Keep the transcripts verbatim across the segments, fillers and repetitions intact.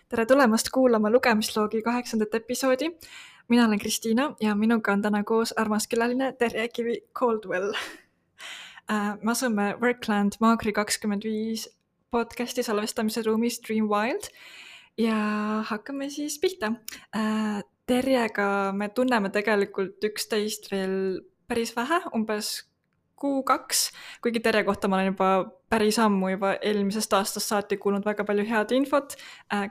Tere tulemast kuulama lugemisloogi kaheksandat episoodi. Mina olen Kristiina ja minuga on täna koos armas külaline Terje Kivi Caldwell. Me asume Workland Maagri kakskümmend viis podcasti salvestamise ruumis Dream Wild ja hakkame siis pihta. Terjega me tunneme tegelikult üksteist veel päris vähe, umbes kuu kaks, kuigi Terje kohta ma olen juba päris ammu juba eelmisest aastast saati kuulnud väga palju head infot.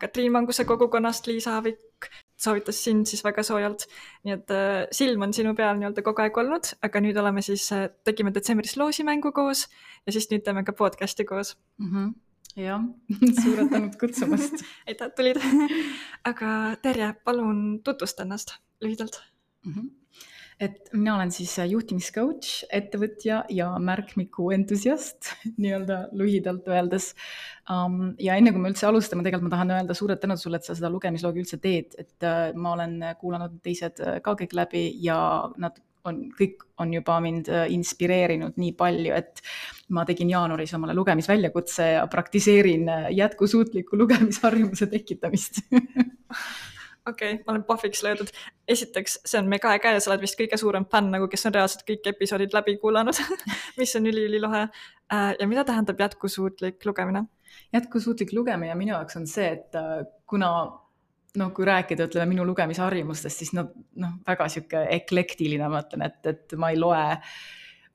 Katriin Manguse kogukonnast Liisa Avik soovitas sind siis väga soojalt, nii et silm on sinu peal nii-öelda kogu aeg olnud, aga nüüd oleme siis, tegime detsembris loosimängu koos ja siis nüüd teeme ka podcasti koos. Mm-hmm. Jah, suured tänud kutsumast. Aitäh, tulid. Aga Terje, palun tutvusta ennast lühidalt. Mm-hmm. Et mina olen siis juhtimiscoach, ettevõtja ja märkmiku entusiast, nii-öelda lühidalt öeldes. Um, ja enne kui me üldse alustame, tegelikult ma tahan öelda suured tänud sulle, et sa seda lugemisloogi üldse teed. Et uh, ma olen kuulanud teised ka kõik läbi ja nad on, kõik on juba mind inspireerinud nii palju, et ma tegin jaanuaris omale lugemisväljakutse ja praktiseerin jätkusuutliku lugemisharjumuse tekitamist. Okei, okay, ma olen pahviks löödud. Esiteks, see on mega äge ja sa oled vist kõige suurem fänn, nagu kes on reaalselt kõik episoodid läbi kuulanud, mis on üli-ülilohe. Ja mida tähendab jätkusuutlik lugemine? Jätkusuutlik lugemine minu jaoks on see, et kuna no, kui rääkida ütleme, minu lugemisharjumustest, siis no, no, väga siuke eklektiline ma ütlen, et, et ma ei loe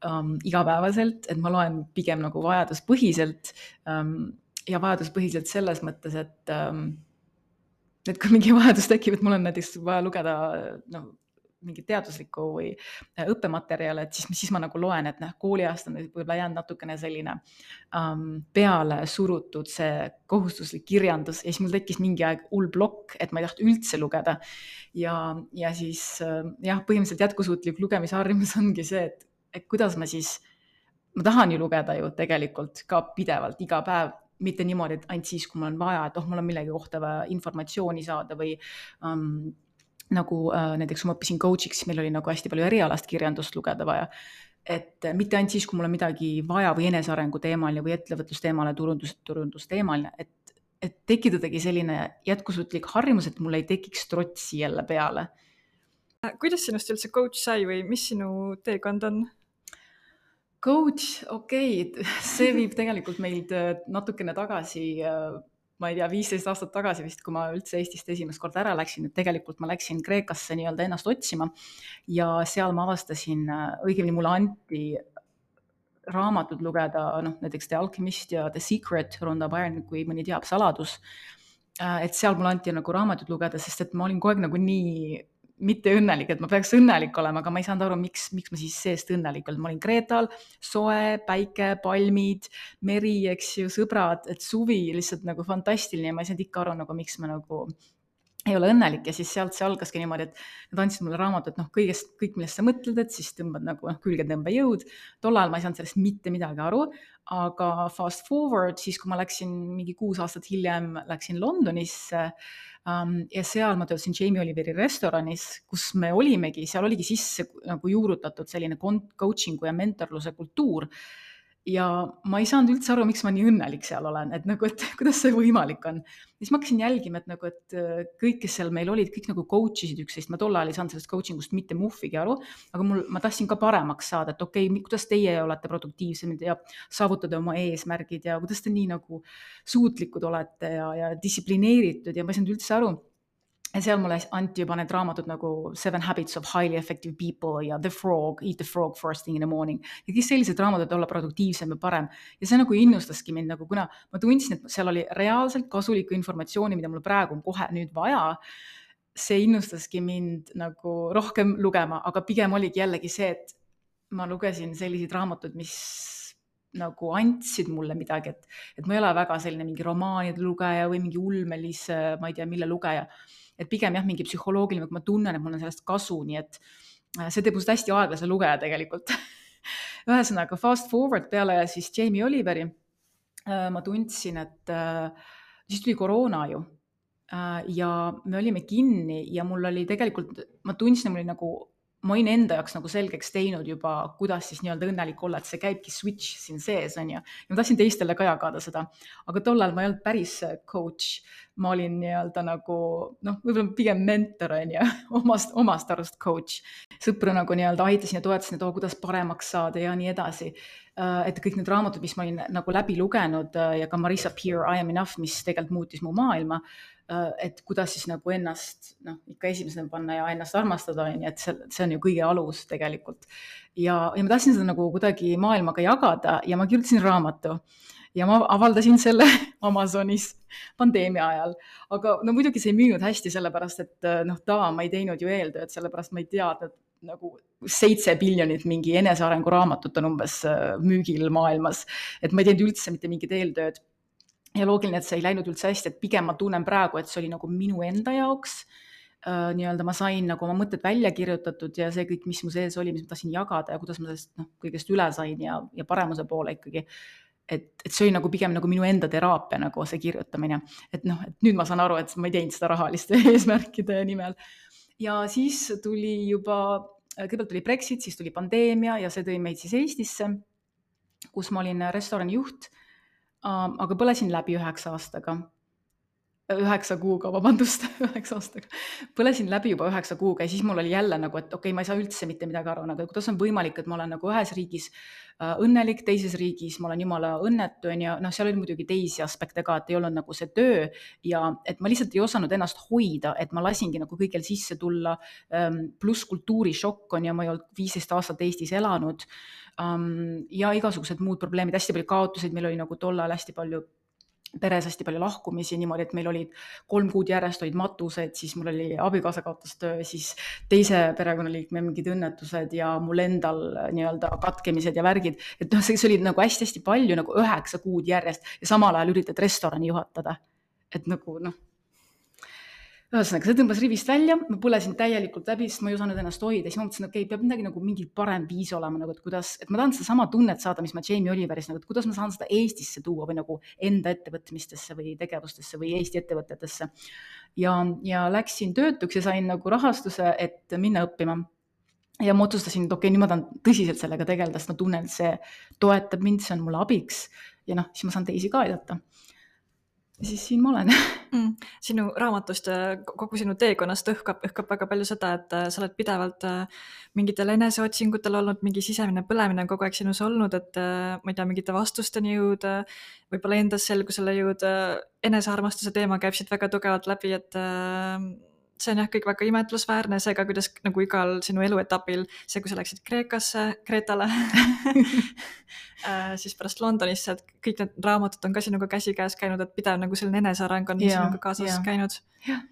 um, igapäevaselt, et ma loen pigem nagu vajaduspõhiselt um, ja vajaduspõhiselt selles mõttes, et um, et kui mingi vajadus tekib, et mul on näiteks vaja lugeda no, mingi teaduslikku või õppematerjale, et siis, siis ma nagu loen, et noh, kooliaast on võib-olla jäänud natukene selline um, peale surutud see kohustuslik kirjandus ja siis mul tekkis mingi aeg hull plokk, et ma ei taht üldse lugeda. Ja, ja siis jah, põhimõtteliselt jätkusuutlik lugemisharjumus ongi see, et, et kuidas ma siis, ma tahan ju lugeda ju tegelikult ka pidevalt iga päev, mitte niimoodi, et ainult siis, kui mul on vaja, et oh, mul on millegi kohta vaja informatsiooni saada või um, nagu uh, näiteks kui ma õppisin coach'iks, meil oli nagu hästi palju erialast kirjandust lugeda vaja. Et mitte ainult siis, kui mul on midagi vaja või enesearengu teemaline või ettevõtlusteemaline, turundus, turundusteemaline, et, et tekitadagi selline jätkusuutlik harjumus, et mul ei tekiks trotsi jälle peale. Kuidas sinust üldse coach sai või mis sinu teekond on? Coach, okei, okay. See viib tegelikult meid natukene tagasi, ma ei tea, viisteist aastat tagasi vist, kui ma üldse Eestist esimest kord ära läksin, et tegelikult ma läksin Kreekasse nii-öelda ennast otsima ja seal ma avastasin, õigemini mulle anti raamatud lugeda, noh, näiteks The Alchemist ja The Secret, Rhonda Byrne, kui mõni teab saladus, et seal mulle anti nagu raamatud lugeda, sest et ma olin kogu aeg nagu nii mitte õnnelik, et ma peaks õnnelik olema, aga ma ei saanud aru, miks, miks ma siis seest õnnelik olen. Ma olin Kreetal, soe, päike, palmid, meri, eks ju, sõbrad, et suvi lihtsalt nagu fantastiline ja ma ei saanud ikka aru, nagu, miks ma nagu ei ole õnnelik ja siis sealt see algaski niimoodi, et nad andsid mulle raamatu, et noh, kõigest, kõik millest sa mõtled, et siis tõmbad nagu noh, külgetõmbejõud. Tol ajal ma ei saanud sellest mitte midagi aru, aga fast forward, siis kui ma läksin mingi kuus aastat hiljem, läksin Londonisse um, ja seal ma töötasin Jamie Oliveri restoranis, kus me olimegi, seal oligi sisse nagu juurutatud selline coachingu ja mentorluse kultuur. Ja ma ei saanud üldse aru, miks ma nii õnnelik seal olen, et nagu, et kuidas see võimalik on. Ja siis ma hakkasin jälgima, et nagu, et kõik, kes seal meil olid, kõik nagu coachisid üksteist, ma tol ajal ei saanud sellest coachingust mitte muffigi aru, aga mul, ma tahtsin ka paremaks saada, et okei, okay, kuidas teie olete produktiivsemad ja saavutada oma eesmärgid ja kuidas te nii nagu suutlikud olete ja, ja distsiplineeritud ja ma ei saanud üldse aru. Ja seal mulle anti juba need raamatud nagu Seven Habits of Highly Effective People ja The Frog, Eat the Frog First Thing in the Morning. Ja kes sellised raamatud olla produktiivsem ja parem. Ja see nagu innustaski mind, nagu kuna ma tundsin, et seal oli reaalselt kasulikku informatsiooni, mida mul praegu on kohe nüüd vaja. See innustaski mind nagu rohkem lugema, aga pigem oligi jällegi see, et ma lugesin selliseid raamatud, mis nagu andsid mulle midagi, et, et ma ei ole väga selline mingi romaanide lugeja või mingi ulmelise, ma ei tea, mille lugeja. Et pigem jah, mingi psühholoogiline, kui ma tunnen, et mul on sellest kasu, nii et see teeb must hästi aeglase lugeja tegelikult. Ühesõnaga, fast forward peale siis Jamie Oliveri ma tundsin, et siis tuli koroona ju ja me olime kinni ja mul oli tegelikult, ma tundsin, et mul oli nagu ma olin enda jaoks nagu selgeks teinud juba, kuidas siis nii-öelda õnnelik olla, et see käibki switch siin sees, on ju. Ja ma tahtsin teistele ka jagada seda, aga tollal ma ei olnud päris coach. Ma olin nii-öelda nagu, noh, võib-olla pigem mentor, on ju, omast, omast arust coach. Sõpru nagu nii-öelda aitasin ja toetasin, et oo, kuidas paremaks saada ja nii edasi. Et kõik need raamatud, mis ma olin nagu läbi lugenud ja ka Marissa Peer, I am enough, mis tegelikult muutis mu maailma, et kuidas siis nagu ennast, noh, ikka esimesena panna ja ennast armastada, on, et see, see on ju kõige alus tegelikult. Ja, ja ma tahtsin seda nagu kuidagi maailmaga jagada ja ma kirjutasin raamatu ja ma avaldasin selle Amazonis pandeemia ajal. Aga no muidugi see ei müünud hästi sellepärast, et noh, ta ma ei teinud ju eeltööd, sellepärast ma ei teadnud, nagu seitse biljonit mingi enesearengu raamatut on umbes müügil maailmas, et ma ei teinud üldse mitte mingit eeltööd. Ja loogiline, et see ei läinud üldse hästi, et pigem ma tunnen praegu, et see oli nagu minu enda jaoks. Uh, nii-öelda ma sain nagu oma mõtted välja kirjutatud ja see kõik, mis mu sees oli, mis ma tahtsin jagada ja kuidas ma sellest noh, kõigest üle sain ja, ja paremuse poole ikkagi. Et, et see oli nagu pigem nagu minu enda teraapia, nagu see kirjutamine. Et noh, et nüüd ma saan aru, et ma ei teinud seda rahaliste eesmärkide nimel. Ja siis tuli juba, kõigepealt tuli Brexit, siis tuli pandeemia ja see tõi meid siis Eestisse, kus ma olin restorani juht. Uh, aga põlesin läbi üheksa aastaga, üheksa kuuga, vabandust, üheksa aastaga. Põlesin läbi juba üheksa kuuga ja siis mul oli jälle nagu, et okei, okay, ma ei saa üldse mitte midagi aru, nagu, kuidas on võimalik, et ma olen nagu ühes riigis uh, õnnelik, teises riigis ma olen jumala õnnetu ja noh, seal oli muidugi teisi aspekte ka, et ei olnud nagu see töö ja et ma lihtsalt ei osanud ennast hoida, et ma lasingi nagu kõigil sisse tulla, um, pluss kultuurishokk on ja ma ei olnud viisteist aastat Eestis elanud. Um, ja igasugused muud probleemid, hästi palju kaotuseid, meil oli nagu tollal hästi palju peres hästi palju lahkumisi niimoodi, et meil olid kolm kuud järjest olid matused, siis mul oli abikaasa kaotas töö, siis teise perekonnaliikme mingid õnnetused ja mul endal nii-öelda katkemised ja värgid, et noh, see oli nagu hästi-hästi palju nagu üheksa kuud järjest ja samal ajal üritad restorani juhatada, et nagu noh, ühesõnaga, see tõmbas rivist välja, ma põlesin täielikult läbi, sest ma ei osanud ennast hoida, siis ma mõtlesin, okei, okay, peab midagi nagu mingi parem viis olema, nagu, et kuidas, et ma tahan seda sama tunnet saada, mis ma Jamie Oliveris, nagu, et kuidas ma saan seda Eestisse tuua või nagu enda ettevõtmistesse või tegevustesse või Eesti ettevõtetesse. Ja, ja läksin töötuks ja sain nagu rahastuse, et minna õppima. Ja ma otsustasin, et okei, okay, nüüd ma tahan tõsiselt sellega tegeleda, sest ma tunnen, et see toetab mind, see on mulle abiks ja noh, siis ma saan teisi ka aidata. Ja siis siin ma olen. mm, sinu raamatust ja kogu sinu teekonnast õhkab, õhkab väga palju seda, et sa oled pidevalt mingitel eneseotsingutel olnud, mingi sisemine põlemine on kogu aeg sinus olnud, et ma ei tea, mingite vastusteni jõuda, võib-olla endas selgusele jõuda, enesearmastuse teema käib siit väga tugevalt läbi, et see on jah kõik väga imetlusväärne, seega kuidas nagu igal sinu eluetapil, see kui sa läksid Kreekasse, Kreetale, siis pärast Londonisse, et kõik need raamatud on ka sinuga käsikäes käinud, et pidev nagu selline eneseareng on ja, sinuga kaasas ja. käinud. Ja.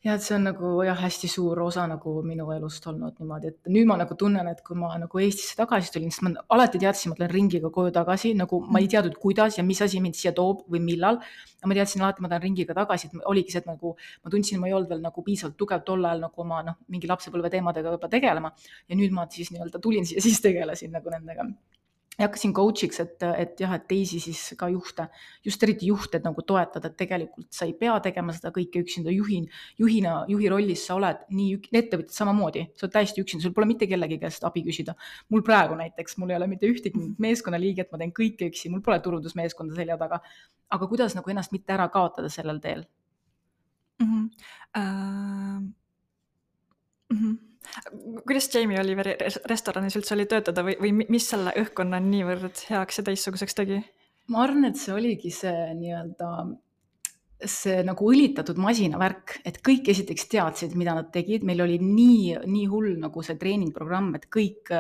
Ja et see on nagu jah, hästi suur osa nagu minu elust olnud niimoodi, et nüüd ma nagu tunnen, et kui ma nagu Eestisse tagasi tulin, sest ma alati teadsin, ma tulen ringiga koju tagasi, nagu ma ei teadnud, kuidas ja mis asi mind siia toob või millal. Ma teadsin alati, ma tulen ringiga tagasi, et oligi see, et nagu ma tundsin, ma ei olnud veel nagu piisavalt tugev tol ajal nagu oma noh, mingi lapsepõlve teemadega juba tegelema ja nüüd ma siis nii-öelda tulin siia, siis tegelesin nagu nendega. Ja hakkasin coach'iks, et, et jah, et teisi siis ka juhte, just eriti juhte nagu toetada, et tegelikult sa ei pea tegema seda kõike üksinda juhin, juhina, juhi rollis sa oled nii ettevõtjad samamoodi, sa oled täiesti üksinda, sul pole mitte kellegi käest abi küsida. Mul praegu näiteks, mul ei ole mitte ühtegi meeskonnaliiget, ma teen kõike üksi, mul pole turundusmeeskonda selja taga, aga kuidas nagu ennast mitte ära kaotada sellel teel? Mm-hmm. Uh... Mm-hmm. Kuidas Jamie Oliveri restoranis üldse oli töötada või, või mis selle õhkkonna niivõrd heaks ja teistsuguseks tegi? Ma arvan, et see oligi see nii-öelda see nagu õlitatud masinavärk, et kõik esiteks teadsid, mida nad tegid. Meil oli nii, nii hull nagu see treeningprogramm, et kõik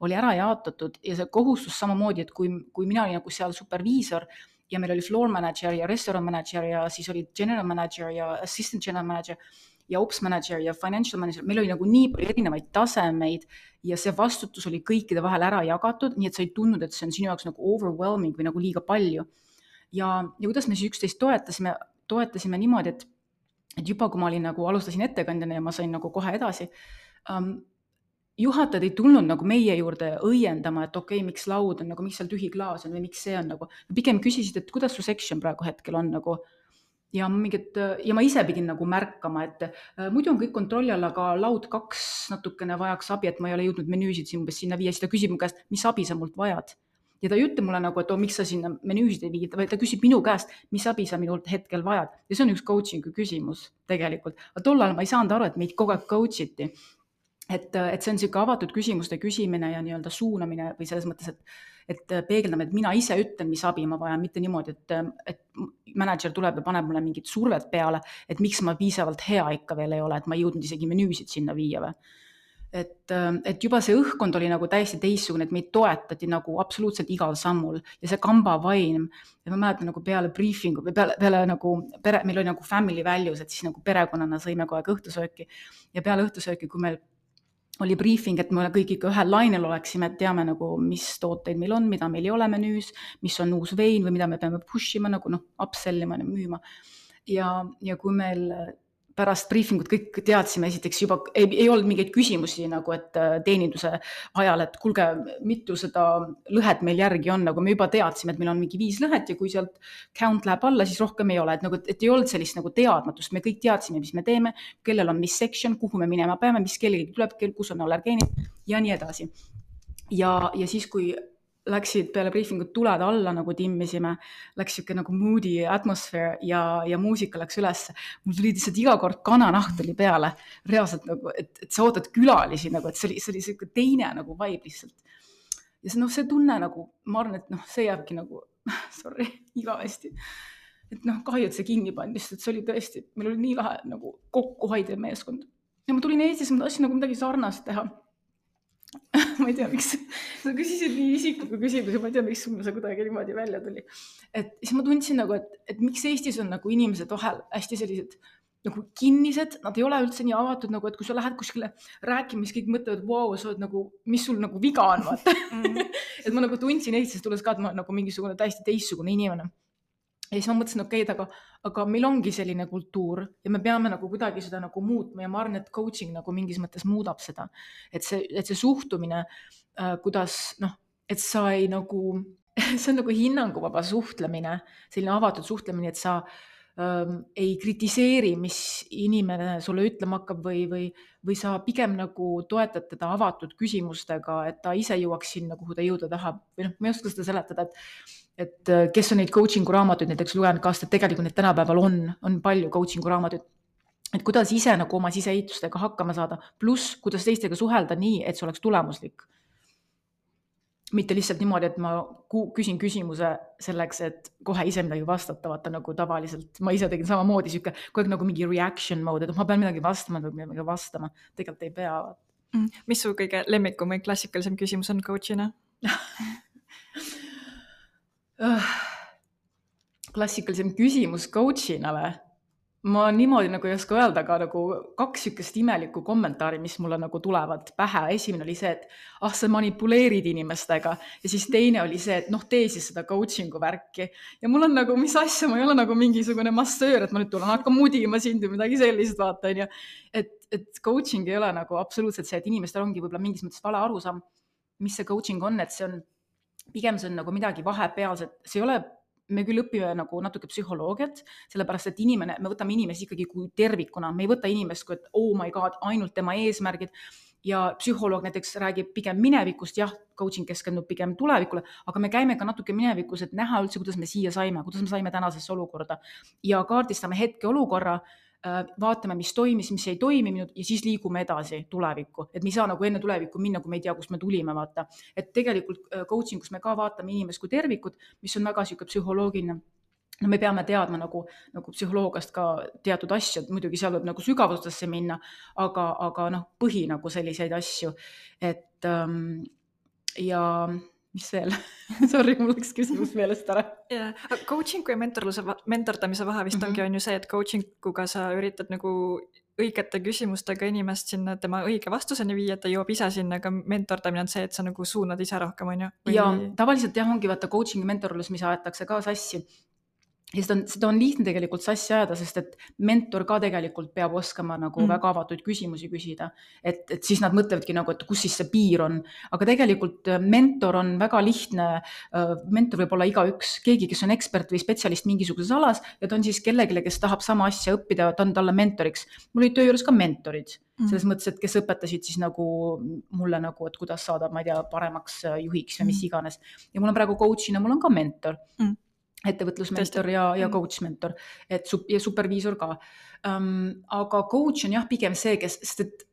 oli ära jaotatud ja see kohustus samamoodi, et kui, kui mina olin nagu seal superviisor ja meil oli floor manager ja restaurant manager ja siis oli general manager ja assistant general manager ja ops manager ja financial manager, meil oli nagu nii palju erinevaid tasemeid ja see vastutus oli kõikide vahel ära jagatud, nii et sa ei tundnud, et see on sinu jaoks nagu overwhelming või nagu liiga palju. Ja, ja kuidas me siis üksteist toetasime, toetasime niimoodi, et, et juba kui ma olin nagu, alustasin ettekandjana ja ma sain nagu kohe edasi, um, juhatajad ei tulnud nagu meie juurde õiendama, et okei, okay, miks laud on, nagu, miks seal tühi klaas on või miks see on nagu, pigem küsisid, et kuidas su section praegu hetkel on nagu. ja mingid, ja ma ise pidin nagu märkama, et äh, muidu on kõik kontrolli all, aga laud kaks natukene vajaks abi, et ma ei ole jõudnud menüüsid siin umbes sinna viia, siis ta küsib mu käest, mis abi sa mult vajad. Ja ta ei ütle mulle nagu, et oh, miks sa sinna menüüsid ei viid, vaid ta küsib minu käest, mis abi sa minult hetkel vajad. Ja see on üks coaching'u küsimus tegelikult. Aga tollal ma ei saanud aru, et meid kogu aeg coach iti. Et, et see on siuke avatud küsimuste küsimine ja nii-öelda suunamine või selles mõttes, et, et peegeldame, et mina ise ütlen, mis abi ma vajan, mitte niimoodi, et, et manager tuleb ja paneb mulle mingit survet peale, et miks ma piisavalt hea ikka veel ei ole, et ma ei jõudnud isegi menüüsid sinna viia või. Et, et juba see õhkkond oli nagu täiesti teissugune, et meid toetati nagu absoluutselt igal sammul ja see kamba vaim ja ma mäletan nagu peale briefingu või peale, peale nagu pere, meil oli nagu family values, et siis nagu perekonnana sõime kogu aeg õhtusööki ja peale õhtusööki, kui meil oli briefing, et me kõik ikka ühel lainel oleksime, et teame nagu, mis tooteid meil on, mida meil ei ole menüüs, mis on uus vein või mida me peame push ima, nagu noh, upsellima ja müüma. Ja, ja kui meil pärast briefingut kõik teadsime, esiteks juba ei, ei olnud mingeid küsimusi nagu, et teeninduse ajal, et kulge, mitu seda lõhet meil järgi on, nagu me juba teadsime, et meil on mingi viis lõhet ja kui sealt count läheb alla, siis rohkem ei ole, et, nagu, et ei olnud sellist nagu teadmatust, me kõik teadsime, mis me teeme, kellel on mis section, kuhu me minema peame, mis kellegi tuleb, kus on allergeenid ja nii edasi. Ja, ja siis, kui läksid peale briefingut tuled alla, nagu timmisime, läks siuke nagu moody atmosfäär ja, ja muusika läks üles. Mul tuli lihtsalt iga kord kananaht tuli peale, reaalselt nagu, et, et sa ootad külalisi, nagu, et see oli, see oli siuke teine nagu vibe lihtsalt. Ja see, no, see tunne nagu, ma arvan, et noh, see jääbki nagu, sorry, igavesti. Et noh, kahju, et see kinni pandi, sest et see oli tõesti, meil oli nii lahe nagu kokkuhoidev meeskond. Ja ma tulin Eestis, ma tahtsin nagu midagi sarnast teha. ma ei tea, miks sa küsisid nii isikliku küsimusi, ma ei tea, miks see kuidagi niimoodi välja tuli. Et siis ma tundsin nagu, et, et miks Eestis on nagu inimesed vahel hästi sellised nagu kinnised, nad ei ole üldse nii avatud, nagu, et kui sa lähed kuskile rääkima, siis kõik mõtlevad, wow, sa oled nagu, mis sul nagu viga on, vaata. et ma nagu tundsin Eestis tulles ka, et ma olen nagu mingisugune täiesti teissugune inimene. Ja siis ma mõtlesin, okei, okay, aga, aga meil ongi selline kultuur ja me peame nagu kuidagi seda nagu muutma ja ma arvan, et coaching nagu mingis mõttes muudab seda. Et see, et see suhtumine, äh, kuidas, noh, et sa ei nagu, see on nagu hinnanguvaba suhtlemine, selline avatud suhtlemine, et sa ähm, ei kritiseeri, mis inimene sulle ütlema hakkab või, või, või sa pigem nagu toetad teda avatud küsimustega, et ta ise jõuaks sinna, kuhu ta jõuda tahab. Või noh, ma ei oska seda seletada, et et kes on neid coaching'u raamatuid näiteks lugenud ka, et tegelikult need tänapäeval on, on palju coaching'u raamatuid, et kuidas ise nagu oma siseehitustega hakkama saada, pluss kuidas teistega suhelda nii, et see oleks tulemuslik. Mitte lihtsalt niimoodi, et ma küsin küsimuse selleks, et kohe ise midagi vastata, vaata nagu tavaliselt, ma ise tegin samamoodi siuke, kogu nagu mingi reaction mode, et ma pean midagi vastama, midagi vastama, tegelikult ei pea. Mis su kõige lemmikum või klassikalisem küsimus on coachina? Klassikalisem küsimus coachina või? Ma niimoodi nagu ei oska öelda, aga nagu kaks sükest imelikku kommentaari, mis mulle nagu tulevad pähe. Esimene oli see, et ah, sa manipuleerid inimestega ja siis teine oli see, et noh, tee siis seda coaching'u värki. Ja mul on nagu, mis asja, ma ei ole nagu mingisugune massöör, et ma nüüd tulen hakka mudima sind või midagi sellist, vaata. Ja. Et, et coaching ei ole nagu absoluutselt see, et inimestel ongi võib-olla mingis mõttes vale arusaam, mis see coaching on, et see on pigem see on nagu midagi vahepealset, see ei ole, me küll õpime nagu natuke psühholoogiat, sellepärast, et inimene, me võtame inimesi ikkagi kui tervikuna, me ei võta inimest kui, et oh my god, ainult tema eesmärgid ja psühholoog näiteks räägib pigem minevikust, jah, coaching keskendub pigem tulevikule, aga me käime ka natuke minevikus, et näha üldse, kuidas me siia saime, kuidas me saime tänasesse olukorda ja kaardistame hetke olukorra, vaatame, mis toimis, mis ei toiminud ja siis liigume edasi tulevikku. Et me ei saa nagu enne tulevikku minna, kui me ei tea, kust me tulime, vaata. Et tegelikult coaching, kus me ka vaatame inimest kui tervikud, mis on väga siuke psühholoogiline. No me peame teadma nagu, nagu psühholoogast ka teatud asju, muidugi seal võib nagu sügavustesse minna, aga, aga noh, põhi nagu selliseid asju. Et ähm, ja... mis veel? Sorry, mul läks küsimus meelest ära. Yeah. Coachingu ja mentordamise vahe vist mm-hmm. ongi on ju see, et coachinguga sa üritad nagu õigete küsimustega inimest sinna tema õige vastuseni viia, et ta jõuab ise sinna, aga mentordamine on see, et sa nagu suunad ise rohkem, on ju? Või... Ja tavaliselt jah, ongi vaata coaching ja mentorlus, mis aetakse ka sassi. ja seda on, seda on lihtne tegelikult sassi ajada, sest et mentor ka tegelikult peab oskama nagu Mm. väga avatud küsimusi küsida, et, et siis nad mõtlevadki nagu, et kus siis see piir on, aga tegelikult äh, mentor on väga lihtne, äh, mentor võib olla igaüks, keegi, kes on ekspert või spetsialist mingisuguses alas ja ta on siis kellelegi, kes tahab sama asja õppida, ta on talle mentoriks. Mul olid töö juures ka mentorid, Mm. selles mõttes, et kes õpetasid siis nagu mulle nagu, et kuidas saada, ma ei tea, paremaks äh, juhiks või mis Mm. iganes. Ja mul on praegu coach'ina, mul on ka mentor. Mm. ettevõtlusmentor ja, ja Mm. coach mentor, et sup- ja superviisor ka. Um, aga coach on jah, pigem see, kes, sest et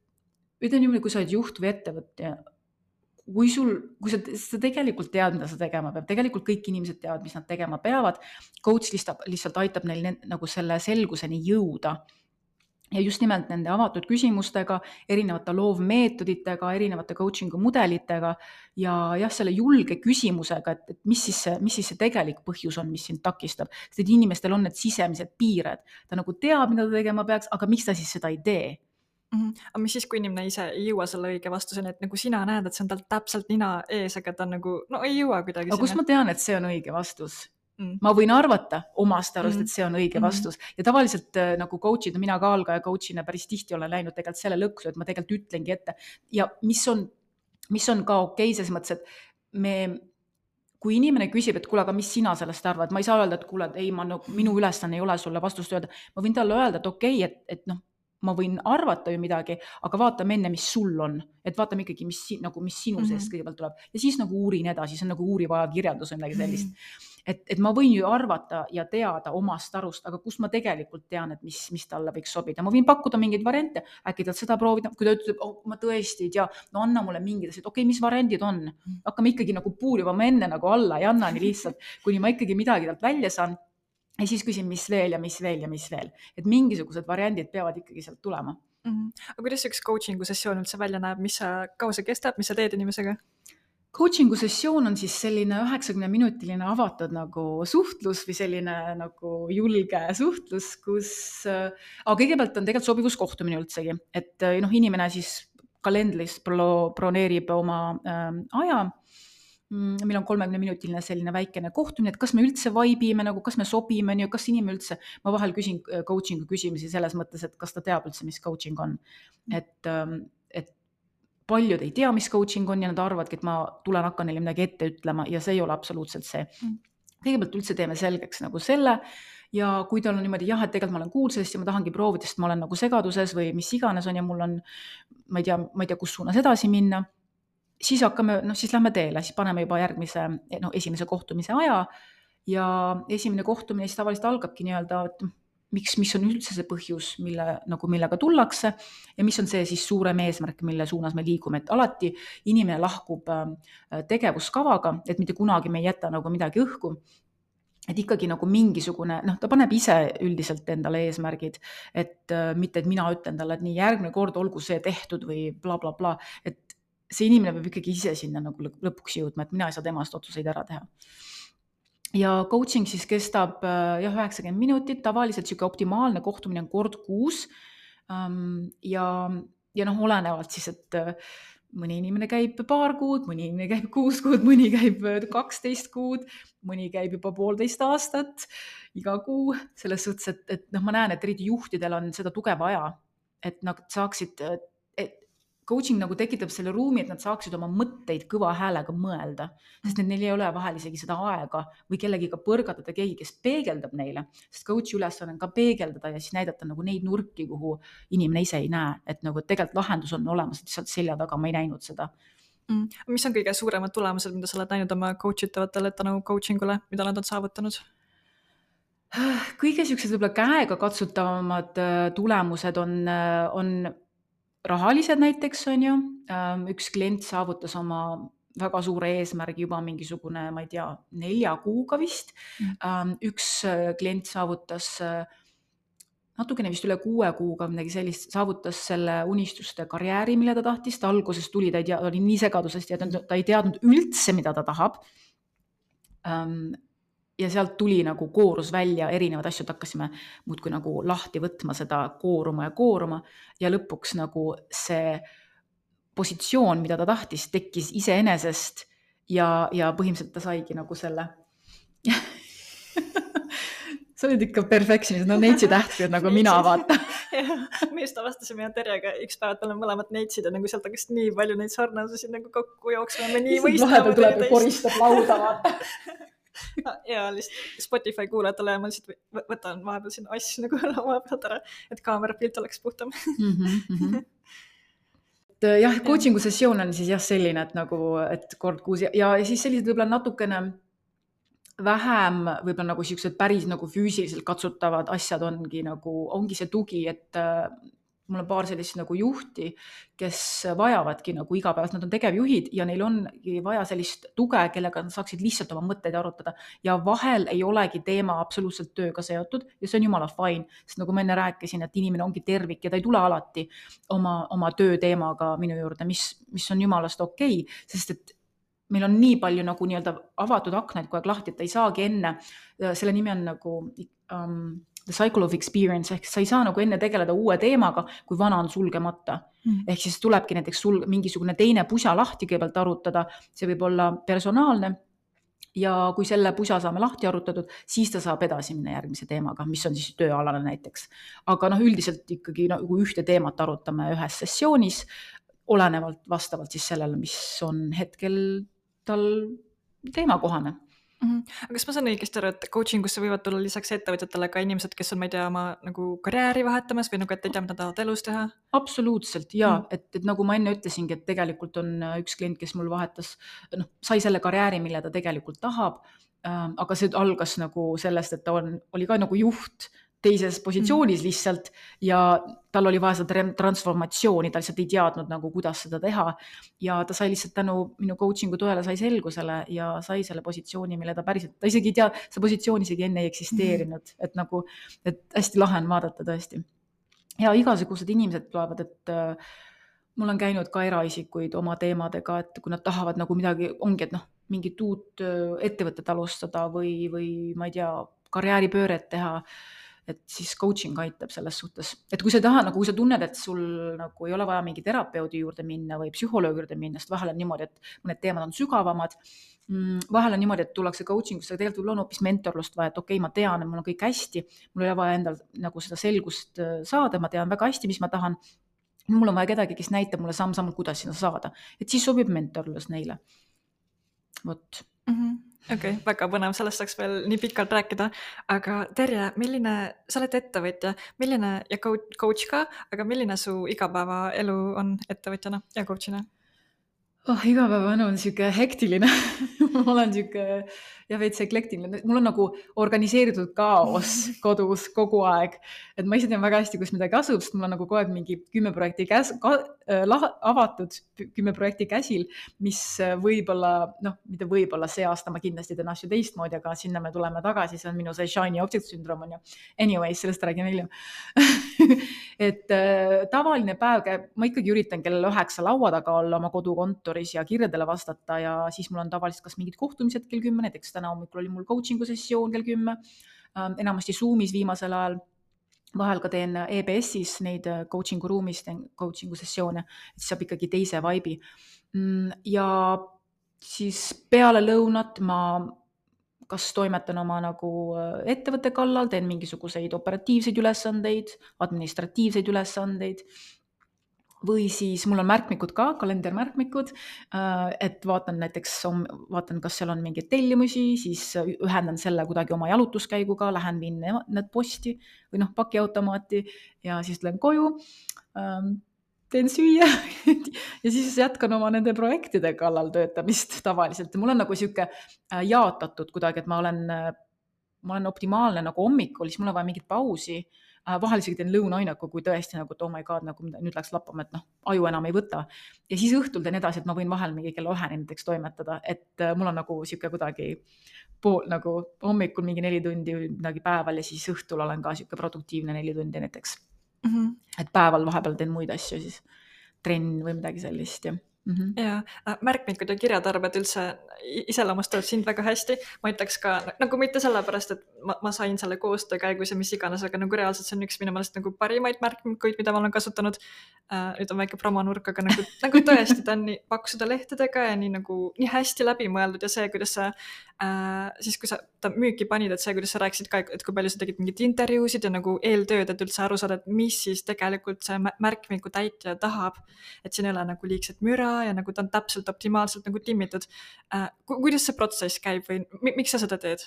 ütleme niimoodi, kui sa oled juht või ettevõtja, kui sul, kui sa, sa tegelikult tead, mida sa tegema peab, tegelikult kõik inimesed teavad, mis nad tegema peavad, coach lihtsalt, lihtsalt aitab neil ne, nagu selle selguseni jõuda. Ja just nimelt nende avatud küsimustega, erinevate loovmeetoditega, erinevate coaching'u mudelitega ja jah, selle julge küsimusega, et, et mis, siis see, mis siis see tegelik põhjus on, mis sind takistab. Sest et inimestel on need sisemised piired. Ta nagu teab, mida ta tegema peaks, aga miks ta siis seda ei tee? Mm-hmm. Aga mis siis, kui inimene ise ei jõua selle õige vastuseni, et nagu sina näed, et see on tal täpselt nina ees, aga ta nagu, no ei jõua kuidagi aga sinna. Kus ma tean, et see on õige vastus? Mm. Ma võin arvata omast arust, et see on õige vastus. Mm. Ja tavaliselt nagu coach'id, mina ka algaja coach'ina päris tihti olen läinud tegelikult selle lõksu, et ma tegelikult ütlengi ette. Ja mis on, mis on ka okei, selles mõttes, et me, kui inimene küsib, et kuule, aga mis sina sellest arvad, ma ei saa öelda, et kuule, et ei, ma, no, minu ülesanne ei ole sulle vastust öelda. Ma võin talle öelda, et okei, et, et noh, ma võin arvata ju midagi, aga vaatame enne, mis sul on. Et vaatame ikkagi, mis, nagu, mis sinu seest mm-hmm. kõigepealt tuleb. Ja siis nagu uurin edasi, see on nagu uuriva kirjandus või midagi sellist. Mm-hmm. Et, et ma võin ju arvata ja teada omast arust, aga kus ma tegelikult tean, et mis, mis talle võiks sobida. Ma võin pakkuda mingeid variante, äkki tal seda proovida, kui ta ütleb, oh, ma tõesti ei tea, no anna mulle mingid asjad, okei, mis variandid on? Hakkame ikkagi nagu puurima ma enne nagu alla ja anna nii lihtsalt, kuni ma ikkagi midagi talt välja saan. Ja siis küsin, mis veel ja mis veel ja mis veel. Et mingisugused variandid peavad ikkagi sealt tulema. Mm-hmm. Aga kuidas üks coaching'u sessioon üldse välja näeb, mis sa, kaua see kestab, mis sa teed inimesega? Coaching'u sessioon on siis selline üheksakümne minutiline avatud nagu suhtlus või selline nagu julge suhtlus, kus aga kõigepealt on tegelikult sobivuskohtumine üldsegi, et noh, inimene siis kalendris broneerib oma äh, aja. Meil on kolmekümne minutiline selline väikene kohtumine, et kas me üldse vaibime, nagu kas me sobime, kas inimene üldse, ma vahel küsin coaching'u küsimusi selles mõttes, et kas ta teab üldse, mis coaching on. Et, et paljud ei tea, mis coaching on ja nad arvadki, et ma tulen hakkan neile midagi ette ütlema ja see ei ole absoluutselt see. Kõigepealt üldse teeme selgeks nagu selle ja kui tal on niimoodi, jah, et tegelikult ma olen kuulsest ja ma tahangi proovida, sest ma olen nagu segaduses või mis iganes on ja mul on, ma ei tea, ma ei tea, kus suunas edasi minna, siis hakkame, noh, siis lähme teele, siis paneme juba järgmise, noh, esimese kohtumise aja ja esimene kohtumine siis tavaliselt algabki nii-öelda, et miks, mis on üldse see põhjus, mille, nagu millega tullakse ja mis on see siis suurem eesmärk, mille suunas me liigume, et alati inimene lahkub tegevuskavaga, et mitte kunagi me ei jäta nagu midagi õhku, et ikkagi nagu mingisugune, noh, ta paneb ise üldiselt endale eesmärgid, et mitte, et mina ütlen talle, et nii järgmine kord olgu see tehtud või bla, bla, bla, et see inimene peab ikkagi ise sinna nagu lõpuks jõudma, et mina ei saa temast otsuseid ära teha. Ja coaching siis kestab jah, üheksakümmend minutit, tavaliselt siuke optimaalne kohtumine on kord kuus ja, ja noh, olenevalt siis, et mõni inimene käib paar kuud, mõni inimene käib kuus kuud, mõni käib kaksteist kuud, mõni käib juba poolteist aastat, iga kuu, selles suhtes, et, et noh, ma näen, et eriti juhtidel on seda tuge vaja, et nad saaksid, et coaching nagu tekitab selle ruumi, et nad saaksid oma mõtteid kõva häälega mõelda, sest neil ei ole vahel isegi seda aega või kellegiga põrgatada keegi, kes peegeldab neile, sest coach'i ülesanne on ka peegeldada ja siis näidata nagu neid nurki, kuhu inimene ise ei näe, et nagu tegelikult lahendus on olemas, et sealt selja taga ma ei näinud seda. Mm. Mis on kõige suuremad tulemused, mida sa oled näinud oma coach itavatele tänu coachingule, mida nad on saavutanud? Kõige siuksed võib-olla käega katsutavamad tulemused on, on rahalised näiteks on ju, üks klient saavutas oma väga suure eesmärgi juba mingisugune, ma ei tea, nelja kuuga vist. Mm. Üks klient saavutas natukene vist üle kuue kuuga midagi sellist, saavutas selle unistuste karjääri, mille ta tahtis, ta alguses tuli, ta ei tea, oli nii segadusest ja ta, ta ei teadnud üldse, mida ta tahab. Ja sealt tuli nagu koorus välja erinevad asjad, hakkasime muudkui nagu lahti võtma seda kooruma ja kooruma ja lõpuks nagu see positsioon, mida ta tahtis, tekkis iseenesest ja, ja põhimõtteliselt ta saigi nagu selle sa olid ikka perfectionist, no neitsi tähtrid nagu mina vaata. Me just avastasime Terjega üks päev, et me oleme mõlemad neitsid ja nagu sealt hakkas nii palju neid sarnasusi nagu kokku jooksma. Me nii mõistame. Vahepeal tuleb ja koristab lauda vaata. Ja lihtsalt Spotify kuulajatele ma lihtsalt võtan vahepeal sinna asju nagu laua pealt ära, et kaamera pilt oleks puhtam. Mm-hmm, mm-hmm. et jah, coachingu sessioon on siis jah selline, et nagu, et kord kuus ja, ja siis sellised võib-olla natukene vähem võib-olla nagu siuksed päris nagu füüsiliselt katsutavad asjad ongi nagu, ongi see tugi, et äh, mul on paar sellist nagu juhti, kes vajavadki nagu igapäevast, nad on tegevjuhid ja neil ongi vaja sellist tuge, kellega nad saaksid lihtsalt oma mõtteid arutada ja vahel ei olegi teema absoluutselt tööga seotud ja see on jumala fine, sest nagu ma enne rääkisin, et inimene ongi tervik ja ta ei tule alati oma, oma tööteemaga minu juurde, mis, mis on jumalast okei, sest et meil on nii palju nagu nii-öelda avatud aknaid kogu aeg lahti, et ta ei saagi enne, selle nimi on nagu um, the cycle of experience, ehk sa ei saa nagu enne tegeleda uue teemaga, kui vana on sulgemata. Mm. Ehk siis tulebki näiteks sul mingisugune teine pusa lahti kõigepealt arutada, see võib olla personaalne ja kui selle pusa saame lahti arutatud, siis ta saab edasi minna järgmise teemaga, mis on siis tööalane näiteks. Aga noh, üldiselt ikkagi nagu ühte teemat arutame ühes sessioonis, olenevalt vastavalt siis sellele, mis on hetkel tal teemakohane. Mm-hmm. Aga kas ma saan õigesti aru, et coachingusse võivad tulla lisaks ettevõtjatele ka inimesed, kes on, ma ei tea, oma nagu karjääri vahetamas või nagu, et ei tea, mida tahavad elus teha? Absoluutselt, jaa. Mm. Et, et nagu ma enne ütlesingi, et tegelikult on üks klient, kes mul vahetas, noh, sai selle karjääri, mille ta tegelikult tahab, äh, aga see algas nagu sellest, et ta on, oli ka nagu juht teises positsioonis mm. lihtsalt ja tal oli vaja seda transformatsiooni, ta lihtsalt ei teadnud nagu, kuidas seda teha ja ta sai lihtsalt tänu minu coachingu toele sai selgusele ja sai selle positsiooni, mille ta päriselt, ta isegi ei tea, see positsioon isegi enne ei eksisteerinud, mm. et nagu, et hästi lahe on vaadata tõesti. Ja igasugused inimesed tulevad, et äh, mul on käinud ka eraisikuid oma teemadega, et kui nad tahavad nagu midagi, ongi, et noh, mingit uut ettevõtet alustada või, või ma ei tea, karjääripööret teha, et siis coaching aitab selles suhtes, et kui sa ei taha, nagu kui sa tunned, et sul nagu ei ole vaja mingi terapeudi juurde minna või psühholoogi juurde minna, sest vahel on niimoodi, et mõned teemad on sügavamad, vahel on niimoodi, et tullakse coachingusse, aga tegelikult on hoopis mentorlust vaja, et okei, okay, ma tean, et mul on kõik hästi, mul ei ole vaja endal nagu seda selgust saada, ma tean väga hästi, mis ma tahan, mul on vaja kedagi, kes näitab mulle samm-sammult, kuidas sinna saada, et siis sobib mentorlus neile. Vot. Mm-hmm. Okei, okay, väga põnev, sellest saaks veel nii pikalt rääkida, aga Terje, milline, sa oled ettevõtja, milline ja coach ka, aga milline su igapäevaelu on ettevõtjana ja coachina? Oh, igapäevanu on siuke hektiline. Ma olen siuke ja veits eklektiline. Mul on nagu organiseeritud kaos kodus kogu aeg. Et ma ise tean väga hästi, kus midagi asub, sest mul on nagu kogu aeg mingi kümme projekti käs, ka, äh, avatud, kümme projekti käsil, mis võib-olla, noh, mitte võib-olla see aasta ma kindlasti teen asju teistmoodi, aga sinna me tuleme tagasi, see on minu see shiny object syndrome on ju. Anyways, sellest räägin hiljem. et äh, tavaline päev käib, ma ikkagi üritan kell üheksa laua taga olla oma kodukontoris ja kirjadele vastata ja siis mul on tavaliselt kas mingid kohtumised kell kümme, näiteks täna hommikul oli mul coachingu sessioon kell kümme, ähm, enamasti Zoomis viimasel ajal, vahel ka teen E B S-is neid coachingu ruumis, teen coachingu sessioone, et siis saab ikkagi teise vibe'i. Ja siis peale lõunat ma kas toimetan oma nagu ettevõtte kallal, teen mingisuguseid operatiivseid ülesandeid, administratiivseid ülesandeid või siis mul on märkmikud ka, kalendermärkmikud, et vaatan näiteks, vaatan, kas seal on mingeid tellimusi, siis ühendan selle kuidagi oma jalutuskäiguga, lähen viin need posti või noh, pakiautomaati ja siis lähen koju, teen süüa ja siis jätkan oma nende projektide kallal töötamist tavaliselt. Mul on nagu siuke jaotatud kuidagi, et ma olen, ma olen optimaalne nagu hommikul, siis mul on vaja mingit pausi, vahel isegi teen lõunainaku, kui tõesti nagu, et oh my god, nagu nüüd läks lappama, et noh, aju enam ei võta. Ja siis õhtul teen edasi, et ma võin vahel mingi kella üheni näiteks toimetada, et mul on nagu siuke kuidagi pool, nagu hommikul mingi neli tundi midagi päeval ja siis õhtul olen ka siuke produktiivne neli tundi näiteks. Mm-hmm. Et päeval vahepeal teen muid asju, siis trenn või midagi sellist. Ja, mm-hmm. ja märkmikud ja kirjatarbed üldse iseloomustavad sind väga hästi. Ma ütleks ka, nagu mitte sellepärast, et ma, ma sain selle koostöö käigus ja mis iganes, aga nagu reaalselt see on üks minu meelest nagu parimaid märkmikuid, mida ma olen kasutanud. Uh, nüüd on väike promonurk, aga nagu, nagu tõesti ta on nii paksude lehtedega ja nii, nagu, nii hästi läbi mõeldud ja see, kuidas sa, uh, siis kui sa ta müüki panid, et see, kuidas sa rääkisid ka, et kui palju sa tegid mingit intervjuusid ja nagu eeltööd, et üldse aru saada, et mis siis tegelikult see märkmingu täitja tahab, et siin ei ole nagu liigset müra ja nagu ta on täpselt optimaalselt nagu timmitud. Ku- kuidas see protsess käib või mi- miks sa seda teed?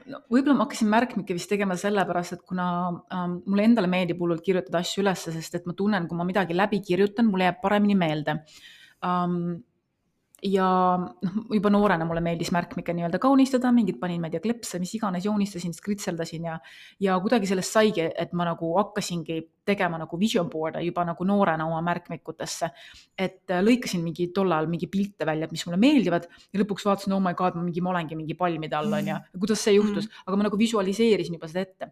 No, võib-olla ma hakkasin märkmikke vist tegema sellepärast, et kuna ähm, mulle endale meeldib hullult kirjutada asju ülesse, sest et ma tunnen, kui ma midagi läbi kirjutan, mulle jääb paremini meelde. Um, ja noh, juba noorena mulle meeldis märkmikke nii-öelda kaunistada, mingid panin, ma ei tea, klepse, mis iganes, joonistasin, skritseldasin ja, ja kuidagi sellest saigi, et ma nagu hakkasingi tegema nagu vision board'e juba nagu noorena oma märkmikutesse, et lõikasin mingi tollal mingi pilte välja, mis mulle meeldivad ja lõpuks vaatasin, oh my god, ma, mingi, ma olengi mingi palmide all on ja kuidas see juhtus, aga ma nagu visualiseerisin juba seda ette.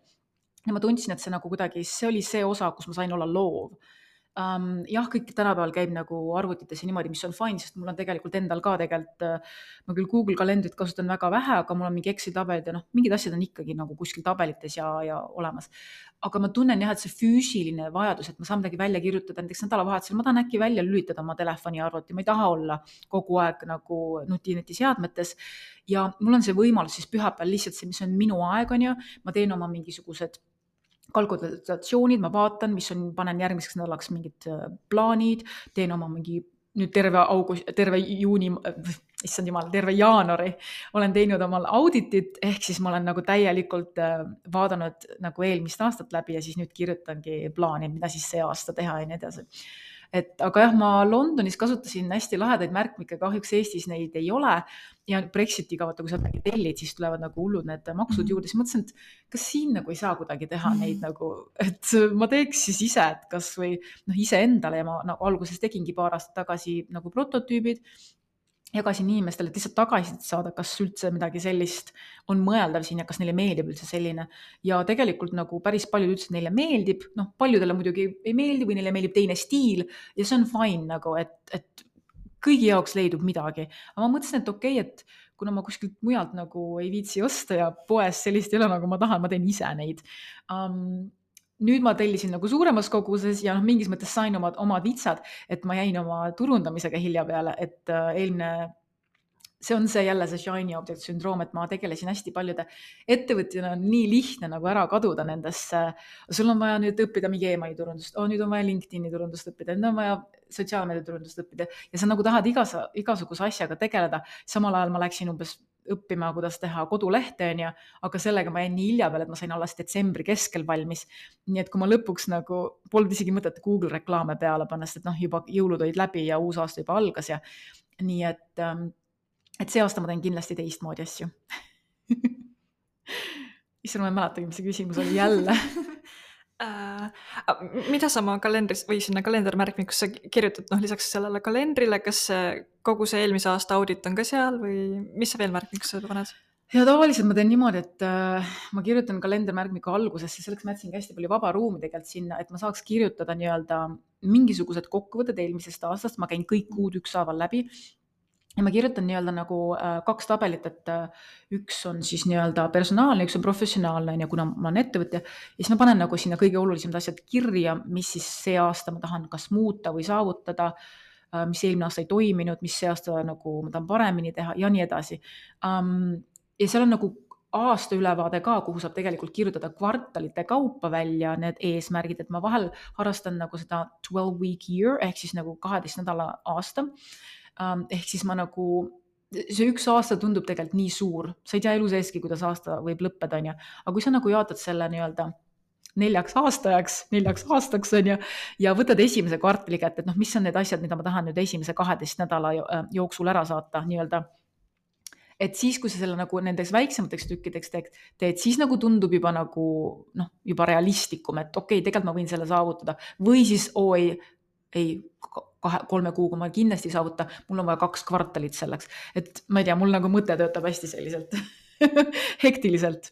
Ja ma tundsin, et see nagu kuidagi, see oli see osa, kus ma sain olla loov. Um, jah, kõik tänapäeval käib nagu arvutitesse niimoodi, mis on fine, sest mul on tegelikult endal ka tegelikult, ma küll Google kalendrit kasutan väga vähe, aga mul on mingi Excel tabelid ja noh, mingid asjad on ikkagi nagu kuskil tabelites ja, ja olemas. Aga ma tunnen jah, et see füüsiline vajadus, et ma saan midagi välja kirjutada, näiteks nädalavahetusel, ma tahan äkki välja lülitada oma telefoni arvuti, ma ei taha olla kogu aeg nagu nutineti seadmetes ja mul on see võimalus siis pühapäeval lihtsalt see, mis on minu aeg on ju, ma teen oma mingisugused kalkulatsioonid, ma vaatan, mis on, panen järgmiseks nädalaks mingid plaanid, teen oma mingi nüüd terve august, terve juuni, issand jumal, terve jaanuari olen teinud omal auditit, ehk siis ma olen nagu täielikult vaadanud nagu eelmist aastat läbi ja siis nüüd kirjutangi plaani, mida siis see aasta teha ja nii edasi. Et, aga jah, ma Londonis kasutasin hästi lahedaid märkmikke, kahjuks Eestis neid ei ole ja Brexitiga, vaata, kui sa midagi tellid, siis tulevad nagu hullud need maksud juurde, siis mõtlesin, et kas siin nagu ei saa kuidagi teha neid nagu, et ma teeks siis ise, et kas või noh, ise endale ja ma nagu alguses tegingi paar aastat tagasi nagu prototüübid, jagasin inimestele, et lihtsalt tagasisid saada, kas üldse midagi sellist on mõeldav siin ja kas neile meeldib üldse selline. Ja tegelikult nagu päris paljud ütlesid, neile meeldib, noh, paljudele muidugi ei meeldi või neile meeldib teine stiil ja see on fine nagu, et, et kõigi jaoks leidub midagi. Aga ma mõtlesin, et okei, okay, et kuna ma kuskilt mujalt nagu ei viitsi osta ja poes sellist ei ole, nagu ma tahan, ma teen ise neid. Um, nüüd ma tellisin nagu suuremas koguses ja noh, mingis mõttes sain omad, omad vitsad, et ma jäin oma turundamisega hilja peale, et äh, eelmine, see on see jälle see shiny object sündroom, et ma tegelesin hästi paljude ettevõtjana, on nii lihtne nagu ära kaduda nendesse, sul on vaja nüüd õppida mingi emaili turundust, oh, nüüd on vaja LinkedIni turundust õppida, nüüd on vaja sotsiaalmeedia turundust õppida ja sa nagu tahad igas, igasuguse asjaga tegeleda, samal ajal ma läksin umbes õppima, kuidas teha kodulehte, on ja, aga sellega ma jäin nii hilja peale, et ma sain alles detsembri keskel valmis. Nii et kui ma lõpuks nagu polnud isegi mõtet Google reklaame peale panna, sest et noh, juba jõulud olid läbi ja uus aasta juba algas ja nii, et, et see aasta ma teen kindlasti teistmoodi asju. Issand, ma ei mäletagi, mis see küsimus oli jälle. Uh, mida sa oma kalendris või sinna kalendermärkmikusse kirjutad, noh lisaks sellele kalendrile, kas see, kogu see eelmise aasta audit on ka seal või mis sa veel märkmikusse paned? Ja tavaliselt ma teen niimoodi, et äh, ma kirjutan kalendermärkmiku algusesse, selleks ma jätsingi hästi palju vaba ruumi tegelikult sinna, et ma saaks kirjutada nii-öelda mingisugused kokkuvõtted eelmisest aastast, ma käin kõik kuud ükshaaval läbi. Ja ma kirjutan nii-öelda nagu äh, kaks tabelit, et äh, üks on siis nii-öelda personaalne, üks on professionaalne ja kuna ma olen ettevõtja, ja siis ma panen nagu sinna kõige olulisemad asjad kirja, mis siis see aasta ma tahan kas muuta või saavutada, äh, mis eelmine aasta ei toiminud, mis see aasta nagu ma tahan paremini teha ja nii edasi. Um, ja seal on nagu aasta ülevaade ka, kuhu saab tegelikult kirjutada kvartalite kaupa välja need eesmärgid, et ma vahel harrastan nagu seda twelve week year ehk siis nagu kaheteist nädala aasta. Ehk siis ma nagu, see üks aasta tundub tegelikult nii suur, sa ei tea elu seeski, kuidas aasta võib lõppeda, on ja. Aga kui sa nagu jaotad selle nii-öelda neljaks aastajaks, neljaks aastaks on ja, ja võtad esimese kvartali kätte, et noh, mis on need asjad, mida ma tahan nüüd esimese kaheteist nädala jooksul ära saata nii-öelda. Et siis, kui sa selle nagu nendeks väiksemateks tükkideks teed, teed, siis nagu tundub juba nagu noh, juba realistlikum, et okei, tegelikult ma võin selle saavutada või siis oi, ei, kahe, kolme kuuga ma kindlasti ei saavuta, mul on vaja kaks kvartalit selleks, et ma ei tea, mul nagu mõte töötab hästi selliselt hektiliselt.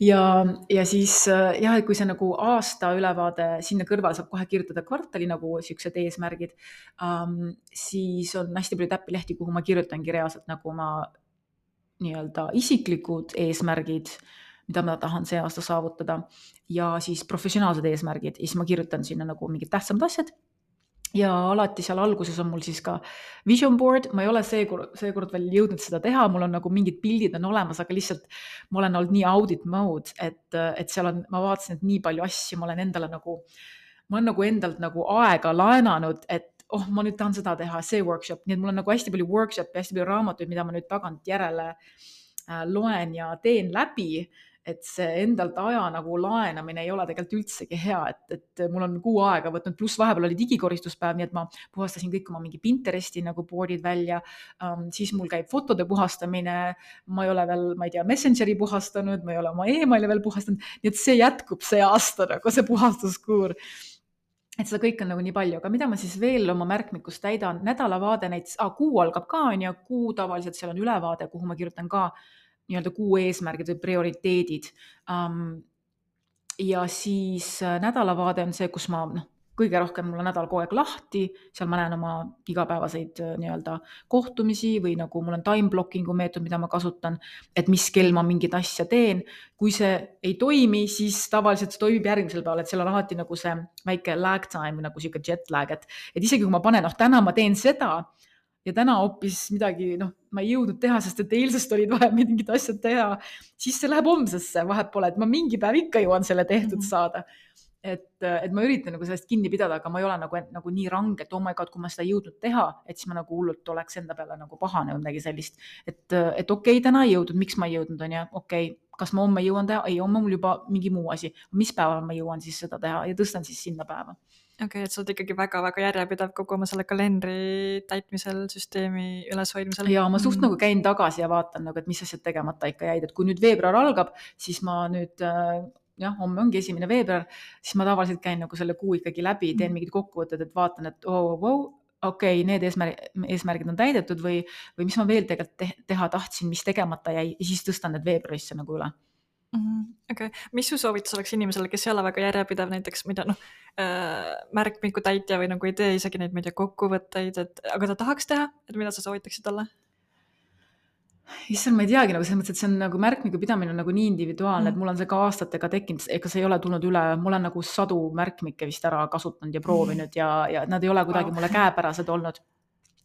Ja, ja siis jah, kui see nagu aasta ülevaade sinna kõrvale saab kohe kirjutada kvartali nagu siuksed eesmärgid, um, siis on hästi palju täppilehti, kuhu ma kirjutangi reaalselt nagu ma nii-öelda isiklikud eesmärgid, mida ma tahan see aasta saavutada ja siis professionaalsed eesmärgid ja siis ma kirjutan sinna nagu mingid tähtsamad asjad. ja alati seal alguses on mul siis ka vision board, ma ei ole seekord, seekord veel jõudnud seda teha, mul on nagu mingid pildid on olemas, aga lihtsalt ma olen olnud nii audit mode, et, et seal on, ma vaatasin, et nii palju asju, ma olen endale nagu, ma olen nagu endalt nagu aega laenanud, et oh, ma nüüd tahan seda teha, see workshop, nii et mul on nagu hästi palju workshop'e, hästi palju raamatuid, mida ma nüüd tagant järele äh, loen ja teen läbi, et see endalt aja nagu laenamine ei ole tegelikult üldsegi hea, et, et mul on kuu aega võtnud, pluss vahepeal oli digikoristuspäev, nii et ma puhastasin kõik oma mingi Pinteresti nagu board'id välja, um, siis mul käib fotode puhastamine, ma ei ole veel, ma ei tea, Messengeri puhastanud, ma ei ole oma emaili veel puhastanud, nii et see jätkub see aasta nagu see puhastuskuur. Et seda kõik on nagu nii palju, aga mida ma siis veel oma märkmikus täidan, nädalavaade näiteks, ah, kuu algab ka, on ju, kuu tavaliselt seal on ülevaade, kuhu ma kirjutan ka nii-öelda kuu eesmärgid või prioriteedid. Um, ja siis nädalavaade on see, kus ma, noh, kõige rohkem mul on nädal kogu aeg lahti, seal ma näen oma igapäevaseid nii-öelda kohtumisi või nagu mul on time blocking'u meetod, mida ma kasutan, et mis kell ma mingit asja teen. Kui see ei toimi, siis tavaliselt see toimib järgmisel päeval, et seal on alati nagu see väike lag time, nagu siuke jet lag, et, et isegi kui ma panen, noh, täna ma teen seda, ja täna hoopis midagi, noh, ma ei jõudnud teha, sest et eilsest olid vaja mingid asjad teha, siis see läheb homsesse, vahet pole, et ma mingi päev ikka jõuan selle tehtud saada. Et, et ma üritan nagu sellest kinni pidada, aga ma ei ole nagu, nagu nii range, et oh my god, kui ma seda ei jõudnud teha, et siis ma nagu hullult oleks enda peale nagu pahane või midagi sellist. Et, et okei, okay, täna ei jõudnud, miks ma ei jõudnud, on ja okei, okay, kas ma homme jõuan teha? Ei, homme mul juba mingi muu asi. Mis päeval ma jõuan siis seda teha ja tõstan siis sinna päeva. Okei, okay, et sa oled ikkagi väga-väga järjepidev kogu oma selle kalendri täitmisel, süsteemi üleshoidmisel. Ja ma suht mm. nagu käin tagasi ja vaatan, nagu, et mis asjad tegemata ikka jäid. Et kui nüüd veebruar algab, siis ma nüüd, jah, homme ongi esimene veebruar, siis ma tavaliselt käin nagu selle kuu ikkagi läbi, teen mingid kokkuvõtted, et vaatan, et oh, wow, okei, okay, need eesmärgid, eesmärgid on täidetud või, või mis ma veel tegelikult teha tahtsin, mis tegemata jäi, ja siis tõstan need veebruarisse nagu üle. Okei, okay. Mis su soovitus oleks inimesele, kes ei ole väga järjepidev näiteks, mida noh, äh, märkmiku täitja või nagu ei tee isegi neid, ma ei tea, kokkuvõtteid, et, aga ta tahaks teha, et mida sa soovitaksid talle? Issand, ma ei teagi, nagu selles mõttes, et see on nagu märkmiku pidamine on nagu nii individuaalne, mm. et mul on see ka aastatega tekkinud, ega see ei ole tulnud üle, mul on nagu sadu märkmikke vist ära kasutanud ja proovinud mm. ja, ja nad ei ole kuidagi wow. mulle käepärased olnud.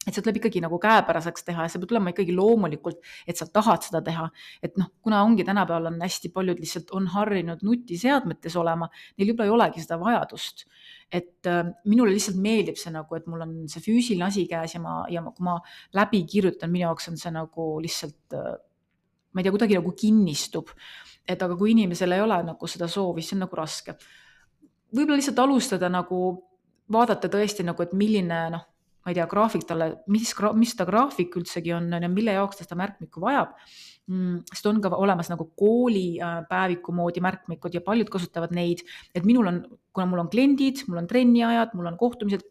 Et see tuleb ikkagi nagu käepäraseks teha ja see peab tulema ikkagi loomulikult, et sa tahad seda teha. Et noh, kuna ongi tänapäeval on hästi paljud lihtsalt on harrinud nutiseadmetes olema, neil juba ei olegi seda vajadust. Et äh, minule lihtsalt meeldib see nagu, et mul on see füüsiline asi käes ja, ma, ja kui ma läbi kirjutan, minu jaoks on see nagu lihtsalt, äh, ma ei tea, kuidagi nagu kinnistub. Et aga kui inimesel ei ole nagu seda soovi, see on nagu raske. Võib-olla lihtsalt alustada nagu, vaadata tõesti nagu, et milline, noh, ma ei tea, graafik talle, mis, mis ta graafik üldsegi on ja mille jaoks ta seda märkmikku vajab. Sest on ka olemas nagu kooli päeviku moodi märkmikud ja paljud kasutavad neid, et minul on, kuna mul on kliendid, mul on trenniajad, mul on kohtumised,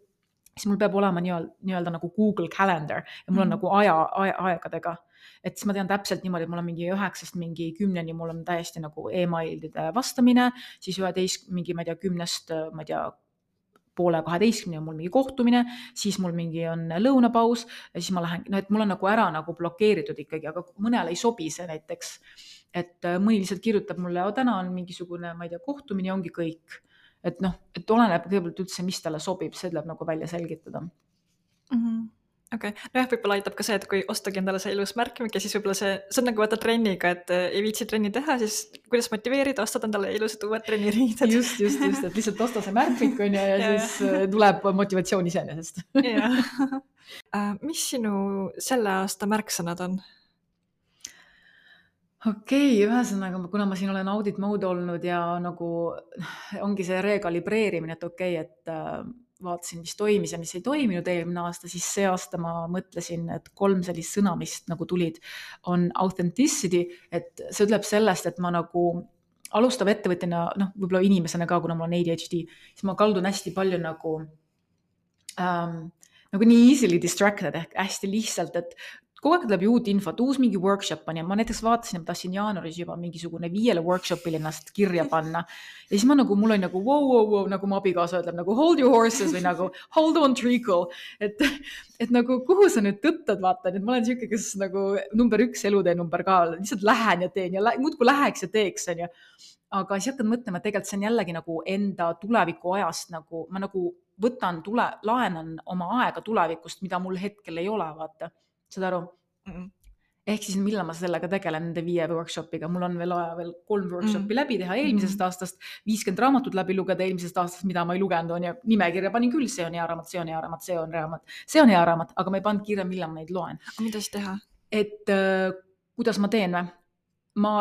siis mul peab olema nii-öelda, nii-öelda nagu Google Calendar ja mul on mm. nagu aja, aja, aegadega. Et siis ma tean täpselt niimoodi, et mul on mingi üheksast mingi kümneni, mul on täiesti nagu emailide vastamine, siis üheteist mingi, ma ei tea, kümnest, ma ei tea, poole kaheteistkümne on mul mingi kohtumine, siis mul mingi on lõunapaus ja siis ma lähen, no et mul on nagu ära nagu blokeeritud ikkagi, aga mõnele ei sobi see näiteks, et mõni lihtsalt kirjutab mulle, o täna on mingisugune, ma ei tea, kohtumine, ongi kõik. Et noh, et oleneb kõigepealt üldse, mis talle sobib, see tuleb nagu välja selgitada. Mm-hmm. Okei, okay. No jah, võib-olla aitab ka see, et kui ostagi endale see ilus märkmik ja siis võib-olla see, see on nagu vaata trenniga, et ei viitsi trenni teha, siis kuidas motiveerida, ostad endale ilusad uued trenniriided. Just, just, just, et lihtsalt osta see märkmik on ja, ja, ja siis tuleb motivatsioon iseenesest. Mis sinu selle aasta märksõnad on? Okei, okay, ühesõnaga, kuna ma siin olen audit mode olnud ja nagu ongi see rekalibreerimine, et okei, okay, et vaatasin, mis toimis ja mis ei toiminud eelmine aasta, siis see aasta ma mõtlesin, et kolm sellist sõna, mis nagu tulid, on authenticity, et see ütleb sellest, et ma nagu alustav ettevõtjana, noh, võib-olla inimesena ka, kuna mul on A D H D, siis ma kaldun hästi palju nagu, ähm, nagu nii easily distracted ehk hästi lihtsalt, et kogu aeg tuleb ju uut infot, uus mingi workshop on ja ma näiteks vaatasin, ma tahtsin jaanuaris juba mingisugune viiele workshopil ennast kirja panna. Ja siis ma nagu, mul oli nagu wow, wow, wow, nagu mu abikaasa ütleb nagu hold your horses või nagu hold on treacle. Et, et nagu kuhu sa nüüd tõttad vaata, et ma olen siuke, kes nagu number üks elutee number ka, lihtsalt lähen ja teen ja lä- muudku läheks ja teeks on ju. Aga siis hakkad mõtlema, et tegelikult see on jällegi nagu enda tuleviku ajast nagu, ma nagu võtan tule, laenan oma aega tulevikust, mida mul hetkel ei ole, vaata. Saad aru? Mm-mm. Ehk siis millal ma sellega tegelen nende viie workshopiga, mul on veel aja veel kolm workshopi mm. läbi teha eelmisest mm. aastast, viiskümmend raamatut läbi lugeda eelmisest aastast, mida ma ei lugenud on ja nimekirja panin küll, see on hea raamat, see on hea raamat, see on raamat, see on hea raamat, aga ma ei pannud kirja, millal ma neid loen. Mida siis teha? Et äh, kuidas ma teen või? Ma,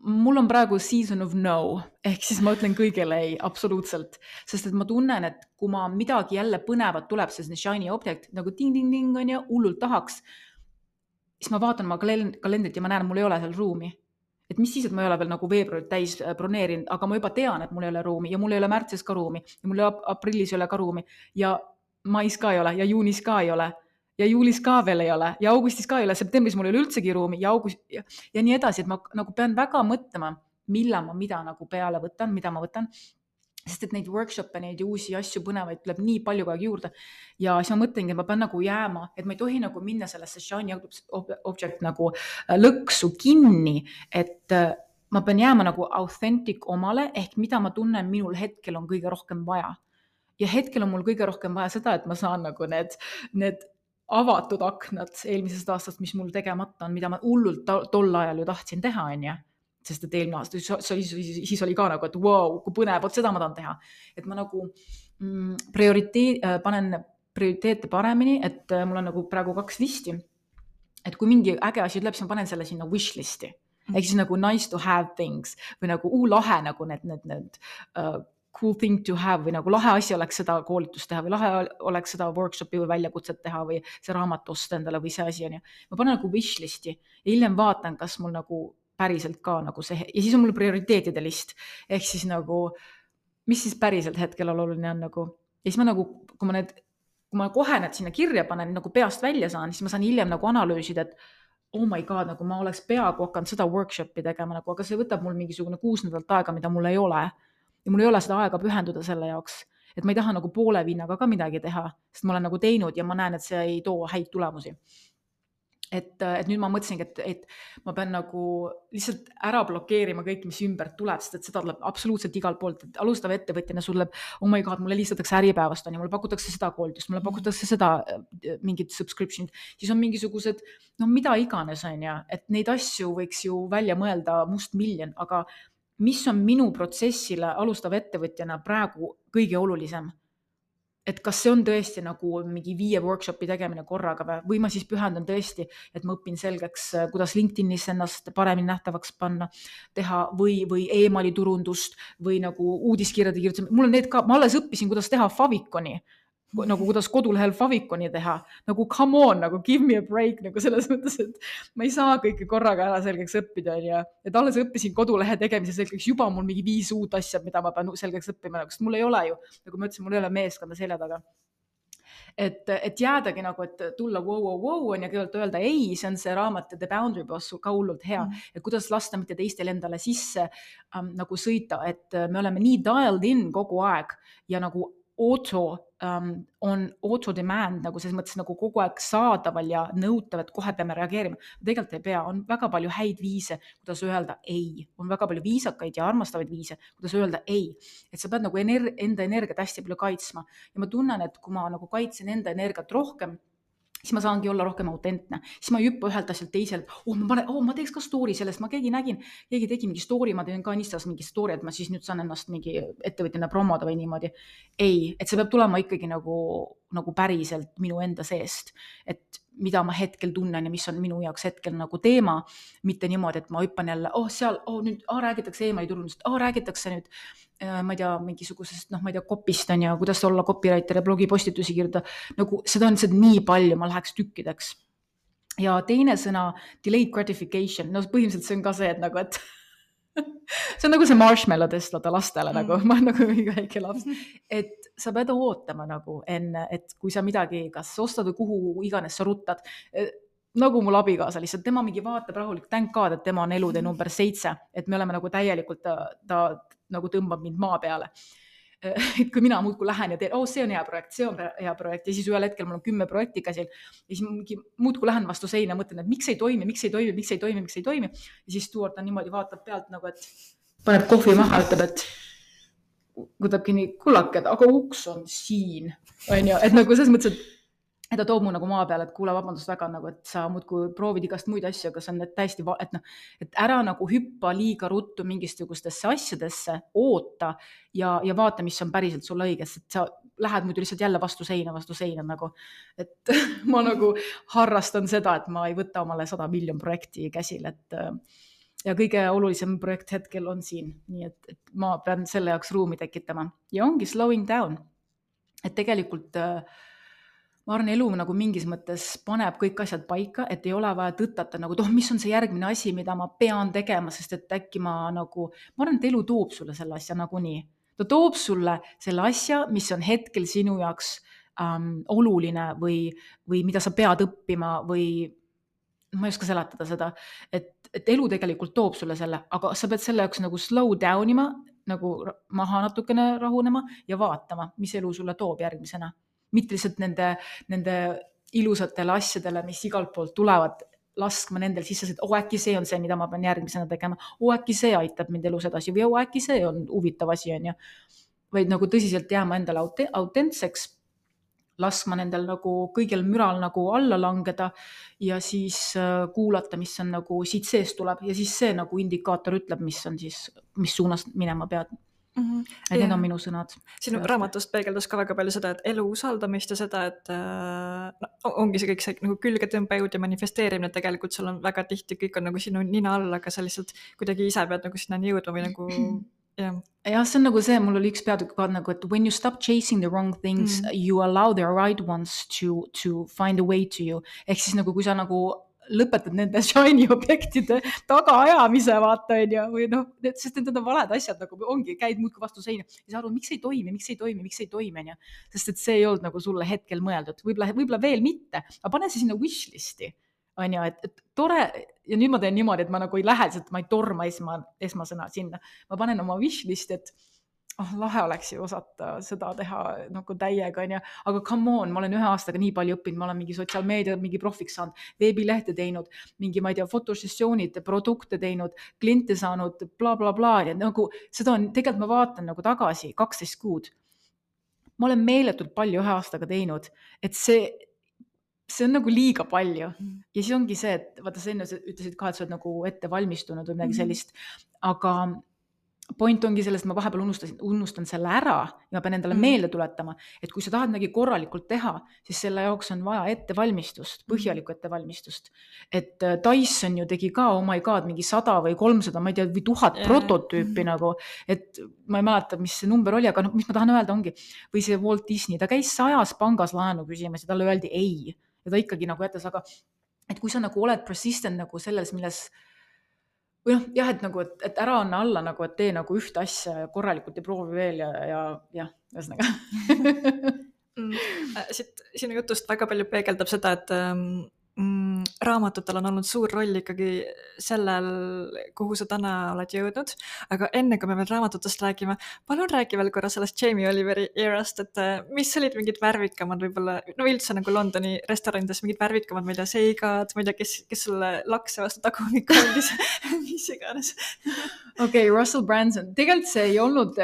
mul on praegu season of no, ehk siis ma ütlen kõigele ei, absoluutselt, sest et ma tunnen, et kui ma midagi jälle põnevat tuleb, see shiny object, nagu ting-ting-ting on ja hullult tahaks, siis ma vaatan oma kalendrit ja ma näen, mul ei ole seal ruumi. Et mis siis, et ma ei ole veel nagu veebruarit täis broneerinud, aga ma juba tean, et mul ei ole ruumi ja mul ei ole märtsis ka ruumi ja mul ei ole aprillis ei ole ka ruumi ja mais ka ei ole ja juunis ka ei ole ja juulis ka veel ei ole ja augustis ka ei ole, septembris mul ei ole üldsegi ruumi ja august ja, ja nii edasi, et ma nagu pean väga mõtlema, millal ma mida nagu peale võtan, mida ma võtan. Sest et neid workshop'e, neid uusi asju põnevaid tuleb nii palju kogu aeg juurde. Ja siis ma mõtlengi, et ma pean nagu jääma, et ma ei tohi nagu minna sellesse shiny object nagu lõksu kinni, et ma pean jääma nagu authentic omale, ehk mida ma tunnen, minul hetkel on kõige rohkem vaja. Ja hetkel on mul kõige rohkem vaja seda, et ma saan nagu need, need avatud aknad eelmisest aastast, mis mul tegemata on, mida ma hullult tol ajal ju tahtsin teha, on ju. Sest et eelmine aasta, siis, siis oli ka nagu, et wow, kui põnev, vot seda ma tahan teha. Et ma nagu mm, prioriteet, panen prioriteete paremini, et mul on nagu praegu kaks listi. Et kui mingi äge asi ütleb, siis ma panen selle sinna wish listi. Ehk siis nagu nice to have things või nagu uu lahe nagu need, need, need uh, cool thing to have või nagu lahe asi oleks seda koolitust teha või lahe oleks seda workshopi või väljakutset teha või see raamat osta endale või see asi on ju. Ma panen nagu wish listi ja hiljem vaatan, kas mul nagu päriselt ka nagu see, ja siis on mul prioriteetide list, ehk siis nagu, mis siis päriselt hetkel oluline on nagu, ja siis ma nagu, kui ma need, kui ma kohe need sinna kirja panen, nagu peast välja saan, siis ma saan hiljem nagu analüüsida, et oh my god, nagu ma oleks peaaegu hakanud seda workshopi tegema, nagu, aga see võtab mul mingisugune kuus nädalat aega, mida mul ei ole, ja mul ei ole seda aega pühenduda selle jaoks, et ma ei taha nagu poole vinnaga ka midagi teha, sest ma olen nagu teinud ja ma näen, et see ei too häid tulemusi. Et, et nüüd ma mõtlesingi, et, et ma pean nagu lihtsalt ära blokeerima kõik, mis ümber tuleb, sest et seda tuleb absoluutselt igalt poolt, et alustav ettevõtjana sul tuleb, oh my god, mulle helistatakse Äripäevast, on ja mulle pakutakse seda koolitust, mulle pakutakse seda mingit subscription, siis on mingisugused, no mida iganes on ja, et neid asju võiks ju välja mõelda must miljon, aga mis on minu protsessile alustav ettevõtjana praegu kõige olulisem? Et kas see on tõesti nagu mingi viie workshopi tegemine korraga või, või ma siis pühendan tõesti, et ma õpin selgeks, kuidas LinkedInis ennast paremini nähtavaks panna, teha või, või e-maili turundust või nagu uudiskirjade kirjutamine. Mul on need ka, ma alles õppisin, kuidas teha Favikoni, nagu kuidas kodulehel Favikoni teha, nagu come on, nagu give me a break, nagu selles mõttes, et ma ei saa kõike korraga ära selgeks õppida, ja et alles õppisin kodulehe tegemise selgeks, juba mul mingi viis uut asja, mida ma pean selgeks õppima, sest mul ei ole ju, nagu ma ütlesin, mul ei ole meeskonda selja taga. Et, et jäädagi nagu, et tulla wow, wow, wow on ja kõigepealt öelda ei, see on see raamat The Boundary Boss ka hullult hea, mm. et kuidas lasta mitte teistel endale sisse ähm, nagu sõita, et me oleme nii dialed in kogu aeg ja nagu auto um, on auto demand, nagu selles mõttes nagu kogu aeg saadaval ja nõutav, et kohe peame reageerima. Tegelikult ei pea, on väga palju häid viise, kuidas öelda ei. On väga palju viisakaid ja armastavaid viise, kuidas öelda ei. Et sa pead nagu ener- enda energiat hästi palju kaitsma. Ja ma tunnen, et kui ma nagu kaitsen enda energiat rohkem, siis ma saangi olla rohkem autentne. Siis ma ei hüppa ühelt asjalt teiselt, oh ma, panen, oh, ma teeks ka story sellest, ma keegi nägin, keegi tegi mingi story, ma teen ka Instas mingi story, et ma siis nüüd saan ennast mingi ettevõtjana promoda või niimoodi. Ei, et see peab tulema ikkagi nagu, nagu päriselt minu enda seest, et mida ma hetkel tunnen ja mis on minu jaoks hetkel nagu teema, mitte niimoodi, et ma hüppan jälle, oh seal, oh nüüd oh, räägitakse e-maili turundust, oh räägitakse nüüd ma ei tea, mingisugusest, noh, ma ei tea, kopist on ja kuidas olla copywriter ja blogipostitusi kirjutada, nagu seda on seda nii palju, ma läheks tükkideks. Ja teine sõna, delayed gratification, no põhimõtteliselt see on ka see, et nagu, et see on nagu see marshmallow testlada lastele, mm. nagu ma olen nagu mingi väike laps, et sa pead ootama nagu enne, et kui sa midagi kas ostad või kuhu iganes sa ruttad, nagu mul abikaasa lihtsalt, tema mingi vaatab rahulik, thank God, et tema on elude number seitse, et me oleme nagu täielikult, ta, ta nagu tõmbab mind maa peale. Et kui mina muudku lähen ja teen, oh, see on hea projekt, see on hea projekt ja siis ühel hetkel mul on kümme projekti käsil ja siis muudku lähen vastu seina, mõtlen, et miks ei toimi, miks ei toimi, miks ei toimi, miks ei toimi ja siis Stuart on niimoodi vaatab pealt nagu, et paneb kohvi maha, ütleb, et võtabki nii kullakad, aga uks on siin, on ju, et nagu selles mõttes, et et ta toob mu nagu maa peale, et kuule, vabandust väga, nagu, et sa muudku proovid igast muid asju, aga see on täiesti, et noh, et ära nagu hüppa liiga ruttu mingistugustesse asjadesse, oota ja, ja vaata, mis on päriselt sulle õiges, et sa lähed muidu lihtsalt jälle vastu seina, vastu seina nagu, et ma nagu harrastan seda, et ma ei võta omale sada miljon projekti käsil, et ja kõige olulisem projekt hetkel on siin, nii et, et ma pean selle jaoks ruumi tekitama ja ongi slowing down, et tegelikult ma arvan, elu nagu mingis mõttes paneb kõik asjad paika, et ei ole vaja tõttata nagu, oh, mis on see järgmine asi, mida ma pean tegema, sest et äkki ma nagu, ma arvan, et elu toob sulle selle asja nagunii. Ta toob sulle selle asja, mis on hetkel sinu jaoks ähm, oluline või, või mida sa pead õppima või ma ei oska seletada seda, et, et elu tegelikult toob sulle selle, aga sa pead selle jaoks nagu slow down ima, nagu maha natukene rahunema ja vaatama, mis elu sulle toob järgmisena. Mitte lihtsalt nende, nende ilusatele asjadele, mis igalt poolt tulevad, laskma nendel sisse, et oh, äkki see on see, mida ma pean järgmisena tegema. Oh, äkki see aitab mind elus edasi või oh, äkki see on huvitav asi, on ju. Vaid nagu tõsiselt jääma endale autentseks, laskma nendel nagu kõigil müral nagu alla langeda ja siis kuulata, mis on nagu siit sees tuleb ja siis see nagu indikaator ütleb, mis on siis, mis suunas minema pead. Mm-hmm. Et need on minu sõnad. Sinu raamatust peegeldus ka väga palju seda, et elu usaldamist ja seda, et no, ongi see kõik see nagu külgetõmbejõud ja manifesteerimine, tegelikult sul on väga tihti kõik on nagu sinu nina all, aga sa lihtsalt kuidagi ise pead nagu sinna jõudma või nagu jah. Ja see on nagu see, mul oli üks peatükk ka nagu, et when you stop chasing the wrong things, mm. you allow the right ones to, to find a way to you. Ehk siis nagu, kui sa nagu lõpetad nende shiny objektide tagaajamise, vaata, on ju, või noh, sest need on valed asjad, nagu ongi, käid muudki vastu seina ja sa arvad, miks ei toimi, miks ei toimi, miks ei toimi, on ju, sest et see ei olnud nagu sulle hetkel mõeldud, võib-olla, võib-olla veel mitte, aga pane see sinna wishlisti, on ju, et, et tore, ja nüüd ma teen niimoodi, et ma nagu ei lähe, et ma ei torma esma, esmasõna sinna, ma panen oma wishlisti, et oh, lahe oleks ju osata seda teha nagu täiega, on ju, aga come on, ma olen ühe aastaga nii palju õppinud, ma olen mingi sotsiaalmeedia, mingi profiks saanud, veebilehte teinud, mingi, ma ei tea, fotosessioonid, produkte teinud, kliente saanud, bla, bla, bla, ja nagu seda on, tegelikult ma vaatan nagu tagasi kaksteist kuud. Ma olen meeletult palju ühe aastaga teinud, et see, see on nagu liiga palju. Ja siis ongi see, et vaata, sa enne ütlesid ka, et sa oled nagu ette valmistunud või midagi sellist, aga point ongi sellest, ma vahepeal unustasin, unustan selle ära ja ma pean endale mm. meelde tuletama, et kui sa tahad midagi korralikult teha, siis selle jaoks on vaja ettevalmistust, põhjalikku ettevalmistust. Et Dyson ju tegi ka, oh my god, mingi sada või kolmsada, ma ei tea, või tuhat yeah. prototüüpi mm. nagu, et ma ei mäleta, mis see number oli, aga no, mis ma tahan öelda ongi, või see Walt Disney, ta käis sajas pangas laenu küsimas ja talle öeldi ei, ja ta ikkagi nagu jätas, aga et kui sa nagu oled persistent nagu selles, milles või noh, jah, et nagu, et, et ära anna alla nagu, et tee nagu ühte asja korralikult ja proovi veel ja, ja, ja ühesõnaga. mm, siit, sinu jutust väga palju peegeldab seda, et mm, raamatutel on olnud suur roll ikkagi sellel, kuhu sa täna oled jõudnud, aga enne kui me veel raamatutest räägime, palun räägi veel korra sellest Jamie Oliveri erast, et mis olid mingid värvikamad võib-olla, no üldse nagu Londoni restoranides mingid värvikamad, ma ei tea, seigad, ma ei tea, kes, kes sulle lakse vastu tagumikku andis, mis iganes. Okei, okay, Russell Branson, tegelikult see ei olnud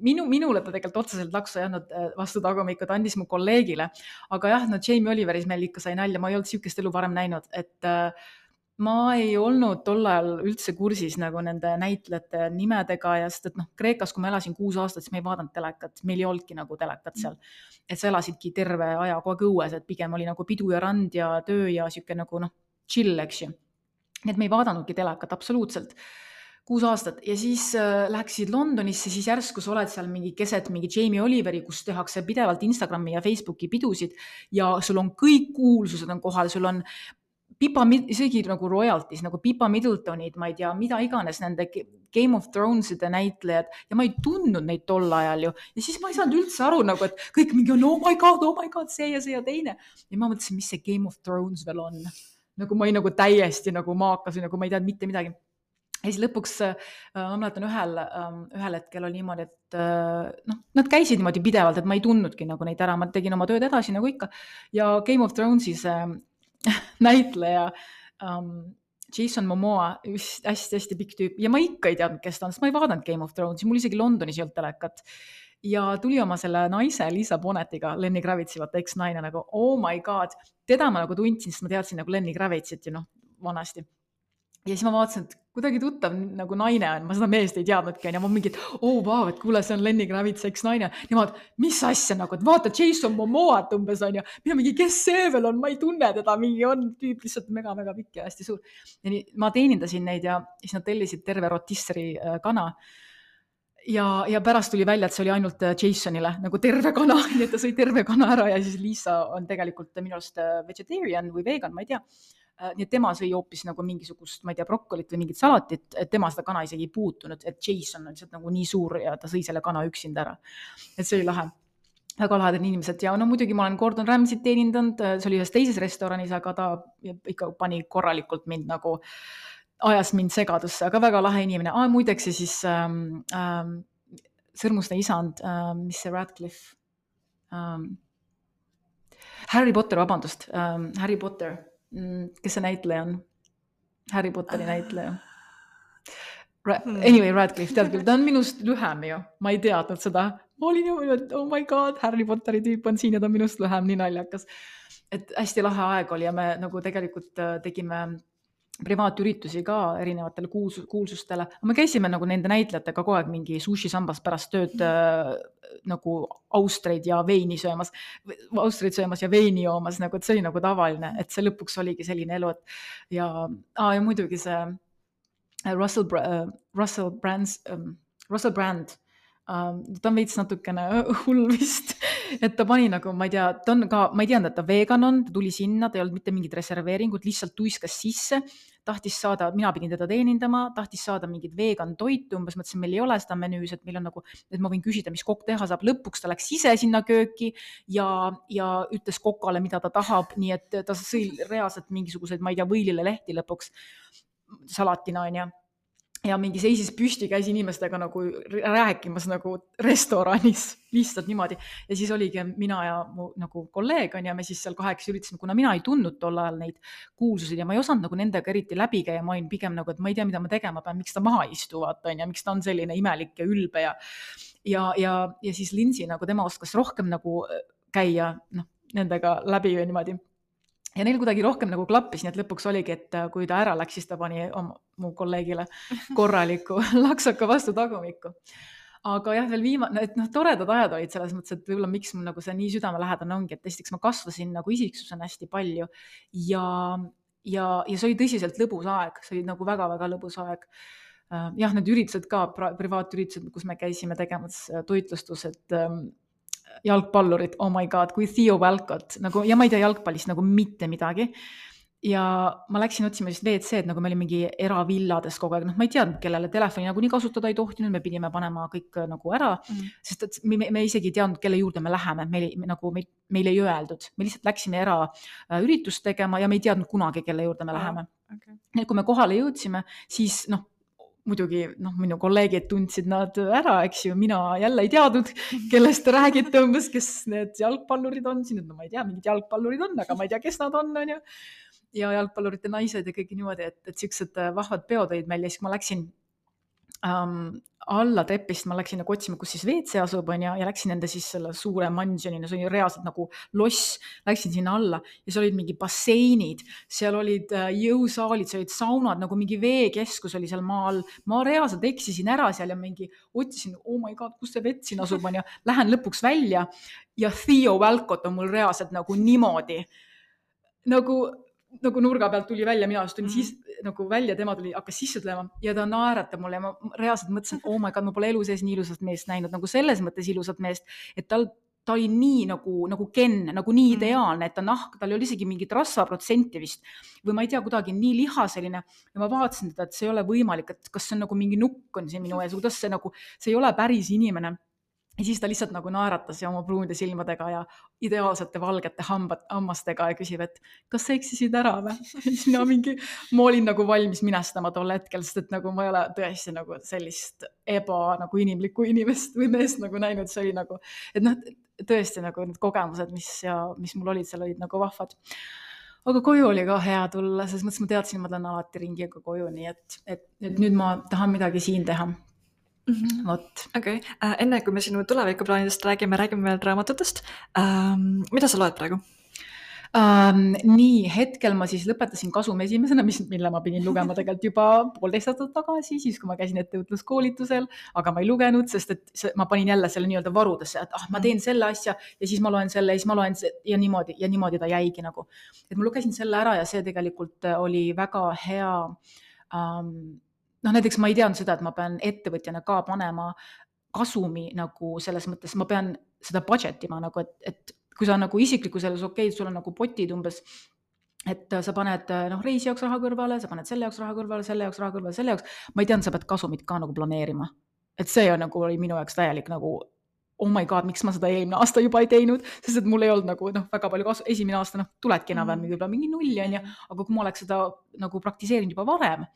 Minu, minule ta tegelikult otseselt laksu ei andnud vastu tagumikku, ta andis mu kolleegile, aga jah, no Jamie Oliveris meil ikka sai nalja, ma ei olnud siukest elu varem näinud, et äh, ma ei olnud tol ajal üldse kursis nagu nende näitlejate nimedega ja sest, et noh, Kreekas, kui ma elasin kuus aastat, siis me ei vaadanud telekat, meil ei olnudki nagu telekat seal, et sa elasidki terve aja kogu aeg õues, et pigem oli nagu pidu ja rand ja töö ja siuke nagu noh, chill, eks ju. Nii et me ei vaadanudki telekat absoluutselt. kuus aastat ja siis äh, läksid Londonisse, siis järsku sa oled seal mingi keset mingi Jamie Oliveri, kus tehakse pidevalt Instagrami ja Facebooki pidusid ja sul on kõik kuulsused on kohal, sul on Pippa, isegi nagu royalties, nagu Pippa Middletonid, ma ei tea, mida iganes nende Game of Thrones'ide näitlejad ja ma ei tundnud neid tol ajal ju. Ja siis ma ei saanud üldse aru nagu, et kõik mingi on, oh my god, oh my god, see ja see ja teine. Ja ma mõtlesin, mis see Game of Thrones veel on. Nagu ma ei nagu täiesti nagu maakas või nagu ma ei teadnud mitte midagi. Ja siis lõpuks, ma mäletan ühel, ühel hetkel oli niimoodi, et noh, nad käisid niimoodi pidevalt, et ma ei tundnudki nagu neid ära, ma tegin oma tööd edasi nagu ikka. Ja Game of Thrones'is näitleja um, Jason Momoa, hästi-hästi pikk tüüp ja ma ikka ei teadnud, kes ta on, sest ma ei vaadanud Game of Thrones'i, mul isegi Londonis ei olnud telekat. Ja tuli oma selle naise Lisa Bonnetiga, Lenny Kravitsi, vaata eks-naine nagu, oh my god, teda ma nagu tundsin, sest ma teadsin nagu Lenny Kravitsit ju noh, vanasti. Ja siis ma vaatasin, et kuidagi tuttav nagu naine on, ma seda meest ei teadnudki, ja ma mingi, et oh vau, et kuule, see on Lenny Kravits, eks naine. Nemad, mis asja nagu, et vaata Jason Momoat umbes on ju, mina mingi, kes see veel on, ma ei tunne teda, mingi on tüüp lihtsalt mega-mega pikk ja hästi suur. Ja nii, ma teenindasin neid ja siis nad tellisid terve rotisseri kana. Ja, ja pärast tuli välja, et see oli ainult Jasonile nagu terve kana, nii et ta sõi terve kana ära ja siis Lisa on tegelikult minu arust vegetarian või vegan, ma ei tea. Nii et tema sõi hoopis nagu mingisugust, ma ei tea, brokkolit või mingit salatit, et tema seda kana isegi ei puutunud, et Jason on lihtsalt nagu nii suur ja ta sõi selle kana üksinda ära. Et see oli lahe. Väga lahedad inimesed ja no muidugi ma olen Gordon Ramsayt teenindanud, see oli ühes teises restoranis, aga ta ikka pani korralikult mind nagu, ajas mind segadusse, aga väga lahe inimene. Ah, muideks ja siis ähm, ähm, sõrmuste isand, ähm, mis see Radcliffe, ähm, Harry Potter, vabandust, ähm, Harry Potter, kes see näitleja on? Harry Potteri näitleja. Ra- anyway, Radcliffe, tead küll, ta on minust lühem ju. Ma ei teadnud seda. Ma olin ju, et oh my god, Harry Potteri tüüp on siin ja ta on minust lühem, nii naljakas. Et hästi lahe aeg oli ja me nagu tegelikult tegime privaatüritusi ka erinevatele kuulsus, kuulsustele. Me käisime nagu nende näitlejatega kogu aeg mingi sushi sambas pärast tööd äh, nagu austreid ja veini söömas, austreid söömas ja veini joomas, nagu, et see oli nagu tavaline, et see lõpuks oligi selline elu, et ja, ah, ja muidugi see Russell, uh, Russell, Brands, um, Russell Brand, um, ta on veits natukene hull vist, et ta pani nagu, ma ei tea, ta on ka, ma ei teadnud, et ta vegan on, ta tuli sinna, ta ei olnud mitte mingit reserveeringut, lihtsalt tuiskas sisse, tahtis saada, mina pidin teda teenindama, tahtis saada mingit vegan toitu, umbes mõtlesin, meil ei ole seda menüüs, et meil on nagu, et ma võin küsida, mis kokk teha saab. Lõpuks ta läks ise sinna kööki ja, ja ütles kokale, mida ta tahab, nii et ta sõi reaalselt mingisuguseid, ma ei tea, võilile lehti lõpuks salatina on ja. Ja mingi seisis püsti, käis inimestega nagu rääkimas nagu restoranis lihtsalt niimoodi. Ja siis oligi mina ja mu nagu kolleeg on ja me siis seal kaheks üritasime, kuna mina ei tundnud tol ajal neid kuulsusid ja ma ei osanud nagu nendega eriti läbi käia, ma olin pigem nagu, et ma ei tea, mida ma tegema pean, miks ta maha istuvad on ja miks ta on selline imelik ja ülbe ja, ja, ja, ja siis Lindsay nagu tema oskas rohkem nagu käia noh, nendega läbi või niimoodi. Ja neil kuidagi rohkem nagu klappis, nii et lõpuks oligi, et kui ta ära läks, siis ta pani oma, mu kolleegile korraliku laksaka vastu tagumikku. Aga jah, veel viimane, et noh, toredad ajad olid selles mõttes, et võib-olla miks mul nagu see nii südamelähedane ongi, et esiteks ma kasvasin nagu isiksusena hästi palju ja, ja, ja see oli tõsiselt lõbus aeg, see oli nagu väga-väga lõbus aeg. Jah, need üritused ka, privaatüritused, kus me käisime tegemas toitlustus, et jalgpallurid, oh my god, kui Theo Walcott, nagu, ja ma ei tea jalgpallist nagu mitte midagi. Ja ma läksin otsima siis V C-d, nagu me olime mingi eravillades kogu aeg, noh, ma ei teadnud, kellele telefoni nagu nii kasutada ei tohtinud, me pidime panema kõik nagu ära, mm. sest et me, me isegi ei teadnud, kelle juurde me läheme, meil, nagu me, meil ei öeldud, me lihtsalt läksime era üritust tegema ja me ei teadnud kunagi, kelle juurde me läheme. Okay. Ja kui me kohale jõudsime, siis noh, muidugi noh, minu kolleegid tundsid nad ära, eks ju, mina jälle ei teadnud, kellest te räägite umbes, kes need jalgpallurid on siin, no ma ei tea, mingid jalgpallurid on, aga ma ei tea, kes nad on, on ju. Ja jalgpallurite naised ja kõik niimoodi, et, et siuksed vahvad peod olid meil ja siis ma läksin um, alla tepist, ma läksin nagu otsima, kus siis V C asub on ja, ja läksin enda siis selle suure mansionina, see oli reaalselt nagu loss, läksin sinna alla ja seal olid mingi basseinid, seal olid jõusaalid, seal olid saunad, nagu mingi veekeskus oli seal maal, ma reaalselt eksisin ära seal ja mingi otsisin, oh my god, kus see vett siin asub on ja lähen lõpuks välja ja Theo Walcott on mul reaalselt nagu niimoodi, nagu nagu nurga pealt tuli välja, mina astun mm. siis nagu välja, tema tuli, hakkas sisse tulema ja ta naeratab mulle ja ma reaalselt mõtlesin, oh my god, ma pole elu sees nii ilusat meest näinud, nagu selles mõttes ilusat meest, et tal, ta oli nii nagu, nagu Ken, nagu nii ideaalne, et ta nahk, tal oli isegi mingit rasvaprotsenti vist või ma ei tea, kuidagi nii lihaseline ja ma vaatasin teda, et see ei ole võimalik, et kas see on nagu mingi nukk on see minu ees, kuidas see nagu, see ei ole päris inimene. Ja siis ta lihtsalt nagu naeratas ja oma pruunide silmadega ja ideaalsete valgete hambad, hammastega ja küsib, et kas sa eksisid ära või? Siis mina mingi, ma olin nagu valmis minestama tol hetkel, sest et nagu ma ei ole tõesti nagu sellist eba nagu inimlikku inimest või meest nagu näinud, see oli nagu, et noh, tõesti nagu need kogemused, mis, ja, mis mul olid, seal olid nagu vahvad. Aga koju oli ka hea tulla, sest mõttes ma teadsin, ma tulen alati ringiga koju, nii et, et, et nüüd ma tahan midagi siin teha. Mm-hmm. Vot. Okay. Uh, enne kui me sinu tulevikuplaanidest räägime, räägime veel raamatutest. Um, mida sa loed praegu? Um, nii, hetkel ma siis lõpetasin Kasum esimesena, mis, mille ma pidin lugema tegelikult juba poolteist aastat tagasi, siis kui ma käisin ettevõtluskoolitusel, aga ma ei lugenud, sest et see, ma panin jälle selle nii-öelda varudesse, et ah, ma teen selle asja ja siis ma loen selle ja siis ma loen see, ja niimoodi, ja niimoodi ta jäigi nagu. Et ma lugesin selle ära ja see tegelikult oli väga hea um, noh, näiteks ma ei teadnud seda, et ma pean ettevõtjana ka panema kasumi nagu selles mõttes, ma pean seda budget ima nagu, et, et kui sa nagu isikliku selles okei, sul on nagu potid umbes, et sa paned noh, reisi jaoks raha kõrvale, sa paned selle jaoks raha kõrvale, selle jaoks raha kõrvale, selle jaoks, ma ei teadnud, sa pead kasumit ka nagu planeerima. Et see on nagu oli minu jaoks täielik nagu, oh my god, miks ma seda eelmine aasta juba ei teinud, sest et mul ei olnud nagu noh, väga palju kasu, esimene aasta noh, tuledki enam-vähem mm. mingi nulli on ja, aga kui ma oleks seda nagu praktiseerinud juba varem,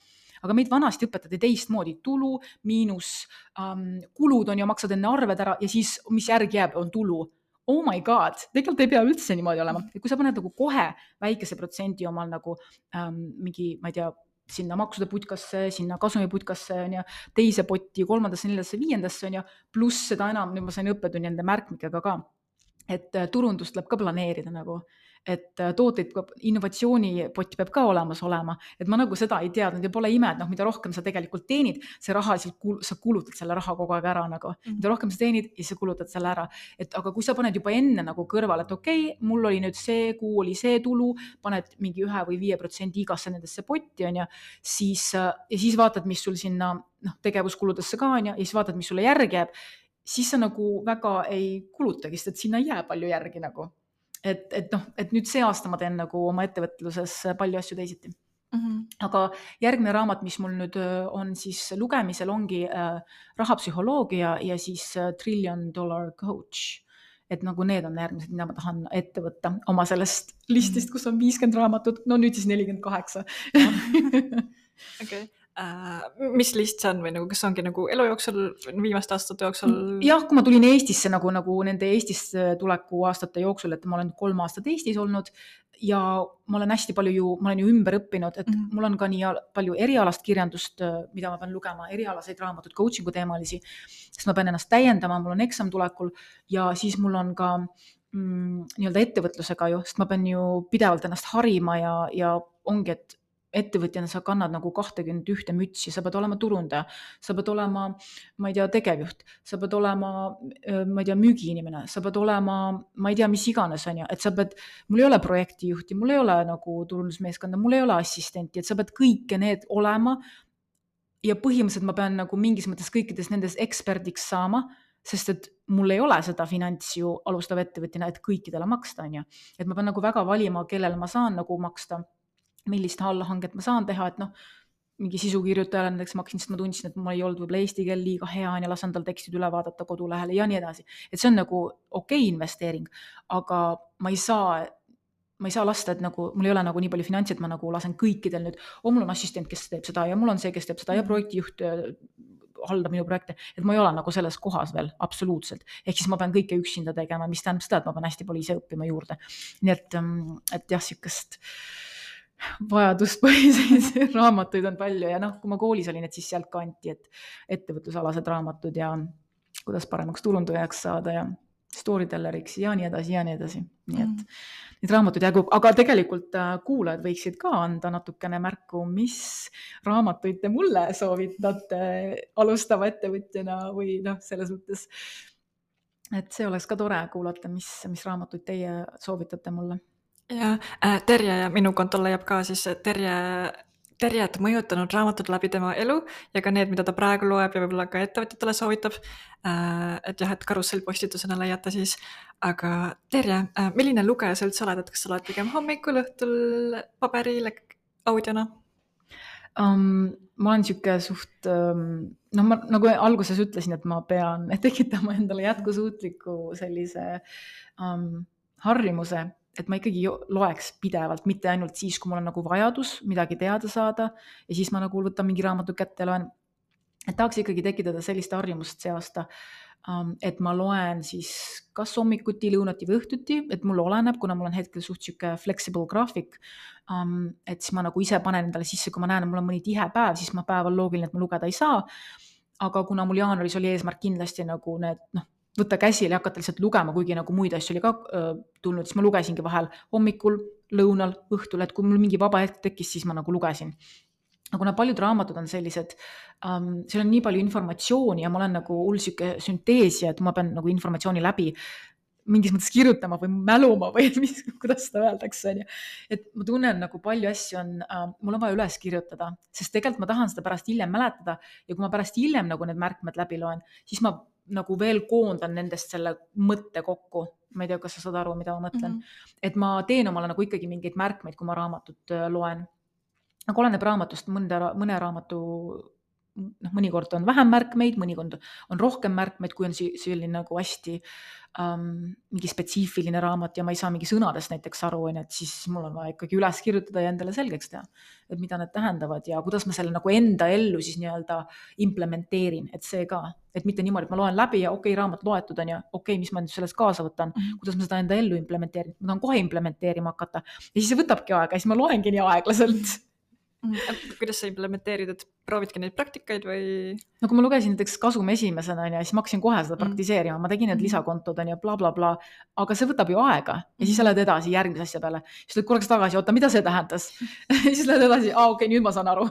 aga meid vanasti õpetati teistmoodi, tulu, miinus, um, kulud on ja maksad enne arved ära ja siis, mis järgi jääb, on tulu. Oh my god, tegelikult ei pea üldse niimoodi olema. Et kui sa paned nagu kohe väikese protsendi omal nagu um, mingi, ma ei tea, sinna maksude putkasse, sinna kasumi putkasse on ja teise potti, kolmandasse, neljasse, viiendasse on ja pluss seda enam, nüüd ma sain õppetunni nende märkmikega ka, et turundust tuleb ka planeerida nagu, et tooteid, innovatsioonipott peab ka olemas olema, et ma nagu seda ei teadnud ja pole ime, et noh, mida rohkem sa tegelikult teenid, see raha, sa kulutad selle raha kogu aeg ära nagu, mm. mida rohkem sa teenid ja sa kulutad selle ära, et aga kui sa paned juba enne nagu kõrval, et okei, okay, mul oli nüüd see kuu oli see tulu, paned mingi ühe või viie protsendi igasse nendesse potti on ja siis, ja siis vaatad, mis sul sinna noh, tegevuskuludesse ka on ja, ja siis vaatad, mis sulle järgi jääb, siis sa nagu väga ei kulutagi, sest et sinna ei jää palju järgi nagu. Et, et, noh, et nüüd see aasta ma teen nagu oma ettevõtluses palju asju teisiti. Mm-hmm. Aga järgmine raamat, mis mul nüüd on siis lugemisel, ongi äh, rahapsühholoogia ja siis äh, Trillion Dollar Coach. Et nagu need on järgmised, mida ma tahan ette võtta oma sellest listist, kus on viiskümmend raamatut, no nüüd siis nelikümmend kaheksa. Okei. Uh, mis list see on või nagu, kas ongi nagu elu jooksul, viimaste aastate jooksul? Jah, kui ma tulin Eestisse nagu, nagu nende Eestisse tuleku aastate jooksul, et ma olen kolm aastat Eestis olnud ja ma olen hästi palju ju, ma olen ju ümber õppinud, et mm. mul on ka nii palju erialast kirjandust, mida ma pean lugema, erialaseid raamatud, coachingu teemalisi, sest ma pean ennast täiendama, mul on eksam tulekul ja siis mul on ka mm, nii-öelda ettevõtlusega ju, sest ma pean ju pidevalt ennast harima ja, ja ongi, et ettevõtjana sa kannad nagu kahtekümmend ühte mütsi, sa pead olema turundaja, sa pead olema, ma ei tea, tegevjuht, sa pead olema, ma ei tea, müügiinimene, sa pead olema, ma ei tea, mis iganes on ja, et sa pead, mul ei ole projektijuhti, mul ei ole nagu turundusmeeskonda, mul ei ole assistenti, et sa pead kõike need olema ja põhimõtteliselt ma pean nagu mingis mõttes kõikides nendes eksperdiks saama, sest et mul ei ole seda finants ju alustav ettevõtjana, et kõikidele maksta on ja, et ma pean nagu väga valima, kellele ma saan nagu maksta, millist allahanget ma saan teha, et noh, mingi sisukirjutajale näiteks maksin, sest ma tundsin, et mul ei olnud võib-olla eesti keel liiga hea ja lasen tal tekstid üle vaadata kodulehele ja nii edasi. Et see on nagu okei okay investeering, aga ma ei saa, ma ei saa lasta, et nagu, mul ei ole nagu nii palju finantsi, et ma nagu lasen kõikidel nüüd, oh, mul on assistent, kes teeb seda ja mul on see, kes teeb seda ja projektijuht haldab minu projekte, et ma ei ole nagu selles kohas veel absoluutselt. Ehk siis ma pean kõike üksinda tegema, mis tähendab seda, et ma pean hästi palju ise õppima juurde. Nii et, et jah, sükest vajaduspõhiseid raamatuid on palju ja noh, kui ma koolis olin, et siis sealt kanti, et ettevõtlusalased raamatud ja kuidas paremaks turundajaks saada ja storytelleriks ja nii edasi ja nii edasi. Nii et mm. neid raamatuid jäägub, aga tegelikult kuulajad võiksid ka anda natukene märku, mis raamatuid te mulle soovitate alustava ettevõtjana või noh, selles mõttes, et see oleks ka tore kuulata, mis, mis raamatuid teie soovitate mulle. Ja äh, Terje ja minu kontol leiab ka siis Terje Terjet mõjutanud raamatud läbi tema elu ja ka need, mida ta praegu loeb ja võib-olla ka ettevõtjatele soovitab. Et jah, et karussellpostitusena leiate siis. Aga Terje, milline lugeja sa üldse oled, et kas sa oled pigem hommikul, õhtul, paberil, audiona? Um, ma olen siuke suht, um, noh, ma nagu alguses ütlesin, et ma pean tekitama endale jätkusuutliku sellise um, harjumuse, et ma ikkagi loeks pidevalt, mitte ainult siis, kui mul on nagu vajadus midagi teada saada ja siis ma nagu võtan mingi raamatu kätte ja loen. Et tahaks ikkagi tekitada sellist harjumust see aasta, et ma loen siis kas hommikuti, lõunati või õhtuti, et mul oleneb, kuna mul on hetkel suht siuke flexible graafik, et siis ma nagu ise panen endale sisse, kui ma näen, et mul on mõni tihe päev, siis ma päeval loogiline, et ma lugeda ei saa. Aga kuna mul jaanuaris oli eesmärk kindlasti nagu need, noh, võtta käsile ja hakata lihtsalt lugema, kuigi nagu muid asju oli ka äh, tulnud, siis ma lugesingi vahel hommikul, lõunal, õhtul, et kui mul mingi vaba hetk tekkis, siis ma nagu lugesin. Aga kuna paljud raamatud on sellised, um, seal on nii palju informatsiooni ja ma olen nagu hull siuke sünteesia, et ma pean nagu informatsiooni läbi mingis mõttes kirjutama või mäluma või mis, kuidas seda öeldakse. Et ma tunnen nagu palju asju on, uh, mul on vaja üles kirjutada, sest tegelikult ma tahan seda pärast hiljem mäletada ja kui ma pärast hiljem nagu need märkmed läbi loen, siis ma nagu veel koondan nendest selle mõtte kokku. Ma ei tea, kas sa saad aru, mida ma mõtlen. Mm-hmm. Et ma teen omale nagu ikkagi mingeid märkmeid, kui ma raamatut loen. Aga oleneb raamatust, mõne, mõne raamatu, noh, mõnikord on vähem märkmeid, mõnikord on rohkem märkmeid, kui on selline nagu hästi um, mingi spetsiifiline raamat ja ma ei saa mingi sõnadest näiteks aru, et siis mul on vaja ikkagi üles kirjutada ja endale selgeks teha, et mida need tähendavad ja kuidas ma selle nagu enda ellu siis nii-öelda implementeerin, et see ka, et mitte niimoodi, et ma loen läbi ja okei, okay, raamat loetud on ja okei, okay, mis ma nüüd sellest kaasa võtan, mm-hmm. kuidas ma seda enda ellu implementeerin, ma tahan kohe implementeerima hakata ja siis see võtabki aega ja siis ma loengi nii aeglaselt. Kuidas sa implementeerid, et proovidki neid praktikaid või? No kui ma lugesin näiteks Kasum esimesena ja siis ma hakkasin kohe seda praktiseerima, ma tegin need lisakontod ja bla, bla, bla, aga see võtab ju aega ja siis sa lähed edasi järgmise asja peale. Siis lähed korraks tagasi, oota, mida see tähendas? Siis lähed edasi, aa, okei, okay, nüüd ma saan aru.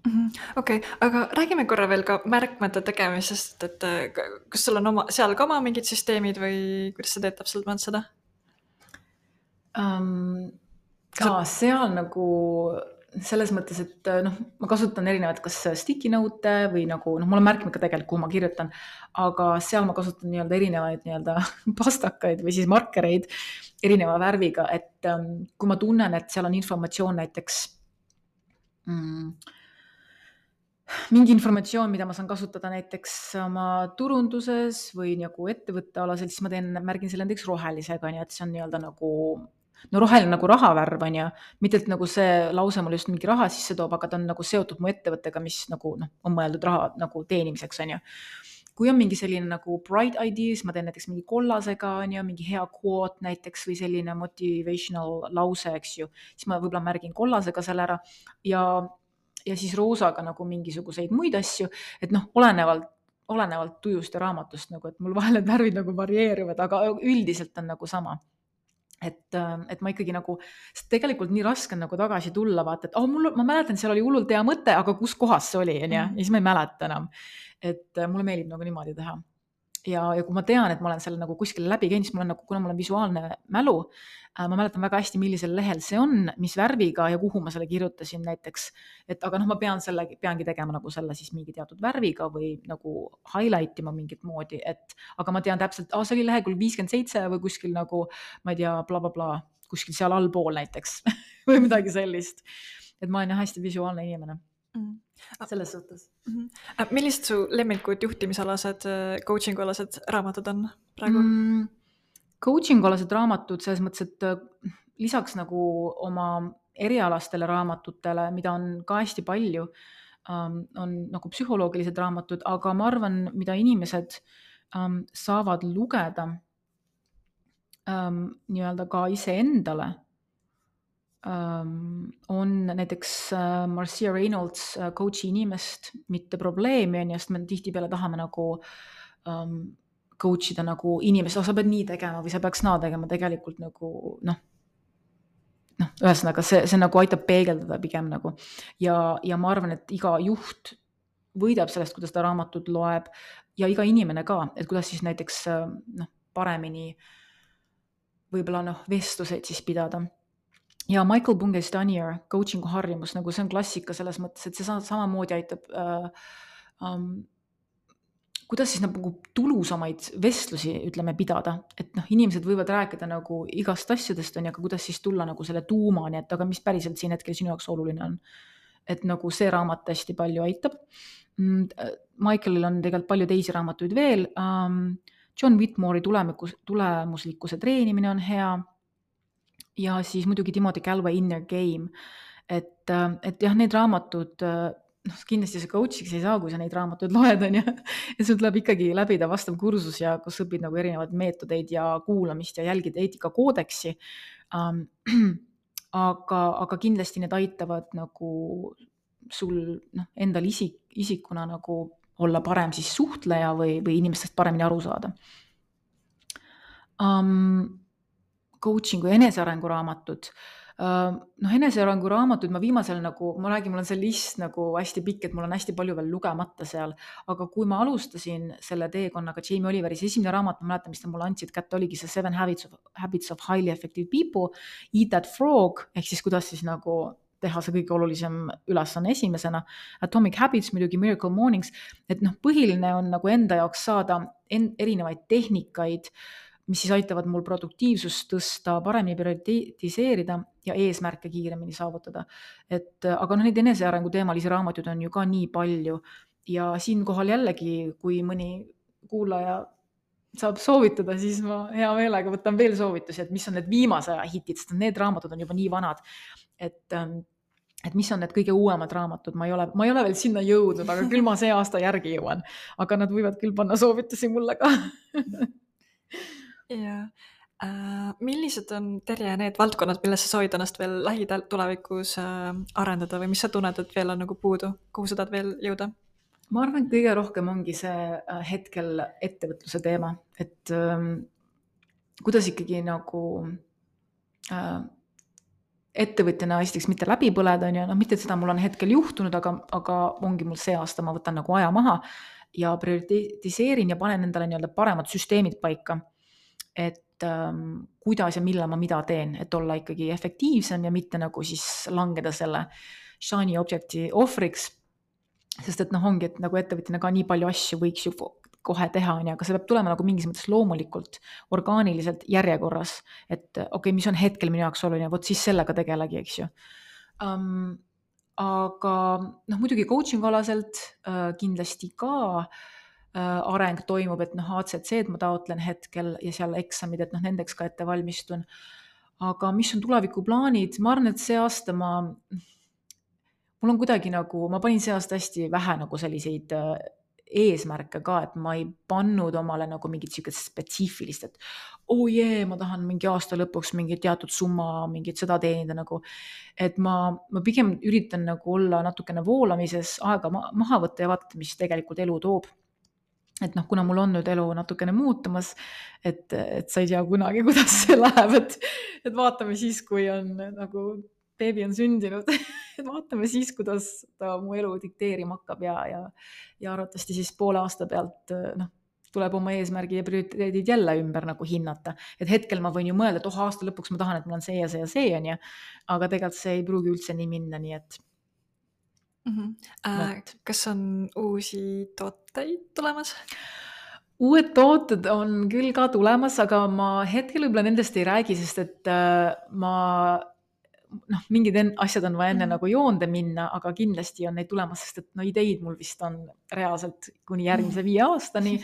Okei, okay, aga räägime korra veel ka märkmete tegemisest, et kas sul on oma, seal ka oma mingid süsteemid või kuidas sa teed täpselt mõnd seda? Um, ka seal nagu selles mõttes, et noh, ma kasutan erinevad kas sticky note või nagu, noh, mul on märkmed ka tegelikult, kuhu ma kirjutan, aga seal ma kasutan nii-öelda erinevaid nii-öelda pastakaid või siis markereid erineva värviga, et um, kui ma tunnen, et seal on informatsioon näiteks mm, mingi informatsioon, mida ma saan kasutada näiteks oma turunduses või nagu ettevõtte alasel, siis ma teen, märgin selle näiteks rohelisega, nii et see on nii-öelda nagu no roheline nagu rahavärv on ja mitte et nagu see lause mul just mingi raha sisse toob, aga ta on nagu seotud mu ettevõttega, mis nagu noh, on mõeldud raha nagu teenimiseks on ja. Kui on mingi selline nagu bright ideas, ma teen näiteks mingi kollasega on ja mingi hea quote näiteks või selline motivational lause, eks ju, siis ma võib-olla märgin kollasega selle ära ja, ja siis roosaga nagu mingisuguseid muid asju, et noh, olenevalt olenevalt tujust ja raamatust nagu, et mul vahel need värvid nagu varieeruvad, aga üldiselt on nagu sama. Et, et ma ikkagi nagu, tegelikult nii raske on nagu tagasi tulla, vaata, et oh, mul, ma mäletan, seal oli hullult hea mõte, aga kus kohas see oli, ja, ja siis ma ei mäleta enam. Et mulle meeldib nagu niimoodi teha. Ja, ja kui ma tean, et ma olen selle nagu kuskile läbi käinud, siis mul on nagu, kuna mul on visuaalne mälu, ma mäletan väga hästi, millisel lehel see on, mis värviga ja kuhu ma selle kirjutasin näiteks. Et aga noh, ma pean selle, peangi tegema nagu selle siis mingi teatud värviga või nagu highlight ima mingit moodi, et aga ma tean täpselt, oh, see oli lehekülg viiskümmend seitse või kuskil nagu, ma ei tea, bla, bla, bla, kuskil seal allpool näiteks või midagi sellist. Et ma olen jah hästi visuaalne inimene. Mm. Selles suhtes. Mm-hmm. Millised su lemmikud juhtimisalased, coaching alased raamatud on praegu? Mm, coaching alased raamatud selles mõttes, et lisaks nagu oma erialastele raamatutele, mida on ka hästi palju, um, on nagu psühholoogilised raamatud, aga ma arvan, mida inimesed um, saavad lugeda um, nii-öelda ka iseendale, Um, on näiteks uh, Marcia Reynolds uh, coachi inimest, mitte probleemi on ja sest me tihtipeale tahame nagu um, coach ida nagu inimest, oh, sa pead nii tegema või sa peaks naa tegema tegelikult nagu noh, noh, ühesõnaga see, see nagu aitab peegeldada pigem nagu ja, ja ma arvan, et iga juht võidab sellest, kuidas ta raamatut loeb ja iga inimene ka, et kuidas siis näiteks noh, paremini võib-olla noh, vestluseid siis pidada. ja Michael Bungay-Stanier, coaching'u harjumus, nagu see on klassika selles mõttes, et see sa- samamoodi aitab äh, um, kuidas siis nagu tulusamaid vestlusi, ütleme, pidada, et noh, inimesed võivad rääkida nagu igast asjadest, on ju, aga kuidas siis tulla nagu selle tuumani, et aga mis päriselt siin hetkel sinu jaoks oluline on. Et nagu see raamat hästi palju aitab. Michaelil on tegelikult palju teisi raamatuid veel. John Whitmore'i tulemus, tulemuslikkuse treenimine on hea. Ja siis muidugi Timothy Galway Inner Game. Et, et jah, need raamatud, noh, kindlasti see coach'iks ei saa, kui sa neid raamatuid loed, on ju. Ja sul tuleb ikkagi läbida vastav kursus ja kus õpid nagu erinevaid meetodeid ja kuulamist ja jälgid eetikakoodeksi. Um, aga, aga kindlasti need aitavad nagu sul noh, endal isik, isikuna nagu olla parem siis suhtleja või, või inimestest paremini aru saada. Um, coaching'u ja enesearengu raamatud. Uh, noh, enesearengu raamatud ma viimasel nagu, ma räägin, mul on see list nagu hästi pikk, et mul on hästi palju veel lugemata seal, aga kui ma alustasin selle teekonnaga Jamie Oliveris, esimene raamat, ma mäletan, mis ta mulle andsid kätte, oligi see Seven Habits of, Habits of Highly Effective People, Eat That Frog, ehk siis kuidas siis nagu teha see kõige olulisem ülesanne esimesena, Atomic Habits, muidugi Miracle Mornings, et noh, põhiline on nagu enda jaoks saada en, erinevaid tehnikaid, mis siis aitavad mul produktiivsust tõsta, paremini prioritiseerida ja eesmärke kiiremini saavutada. Et, aga noh, neid enesearengu teemalisi raamatuid on ju ka nii palju ja siinkohal jällegi, kui mõni kuulaja saab soovitada, siis ma hea meelega võtan veel soovitusi, et mis on need viimase aja hitid, sest need raamatud on juba nii vanad, et, et mis on need kõige uuemad raamatud, ma ei ole, ma ei ole veel sinna jõudnud, aga küll ma see aasta järgi jõuan, aga nad võivad küll panna soovitusi mulle ka. Ja äh, millised on, Terje, need valdkonnad, milles sa soovid ennast veel lähitulevikus äh, arendada või mis sa tunned, et veel on nagu puudu, kuhu sa tahad veel jõuda? Ma arvan, et kõige rohkem ongi see hetkel ettevõtluse teema, et ähm, kuidas ikkagi nagu äh, ettevõtjana esiteks mitte läbi põleda, on ju, noh, mitte, et seda mul on hetkel juhtunud, aga, aga ongi mul see aasta, ma võtan nagu aja maha ja prioritiseerin ja panen endale nii-öelda paremad süsteemid paika. Et ähm, kuidas ja millal ma mida teen, et olla ikkagi efektiivsem ja mitte nagu siis langeda selle shiny objecti ohvriks, sest et noh, ongi, et nagu ettevõtjana ka nii palju asju võiks ju kohe teha, on ju, aga see peab tulema nagu mingis mõttes loomulikult, orgaaniliselt järjekorras, et okei, okay, mis on hetkel minu jaoks oluline, vot siis sellega tegelegi, eks ju. Um, aga noh, muidugi coaching alaselt uh, kindlasti ka areng toimub, et noh, A C C-d ma taotlen hetkel ja seal eksamid, et noh, nendeks ka ette valmistun. Aga mis on tulevikuplaanid? Ma arvan, et see aasta ma, mul on kuidagi nagu, ma panin see aasta hästi vähe nagu selliseid eesmärke ka, et ma ei pannud omale nagu mingit siukest spetsiifilist, et oh jee, ma tahan mingi aasta lõpuks mingi teatud summa, mingit seda teenida nagu, et ma, ma pigem üritan nagu olla natukene voolamises, aega maha võtta ja vaadata, mis tegelikult elu toob. Et noh, kuna mul on nüüd elu natukene muutumas, et, et sa ei tea kunagi, kuidas see läheb, et, et vaatame siis, kui on nagu beebi on sündinud, et vaatame siis, kuidas ta mu elu dikteerima hakkab ja, ja, ja arvatavasti siis poole aasta pealt noh, tuleb oma eesmärgi ja prioriteedid jälle ümber nagu hinnata. Et hetkel ma võin ju mõelda, et oh, aasta lõpuks ma tahan, et mul on see ja see ja see on ja, aga tegelikult see ei pruugi üldse nii minna, nii et Mm-hmm. Äh, kas on uusi tooteid tulemas? Uued tooted on küll ka tulemas, aga ma hetkel võib-olla nendest ei räägi, sest et äh, ma, noh, mingid asjad on vaja enne mm-hmm. nagu joonde minna, aga kindlasti on neid tulemas, sest et no ideid mul vist on reaalselt kuni järgmise mm-hmm. viie aastani,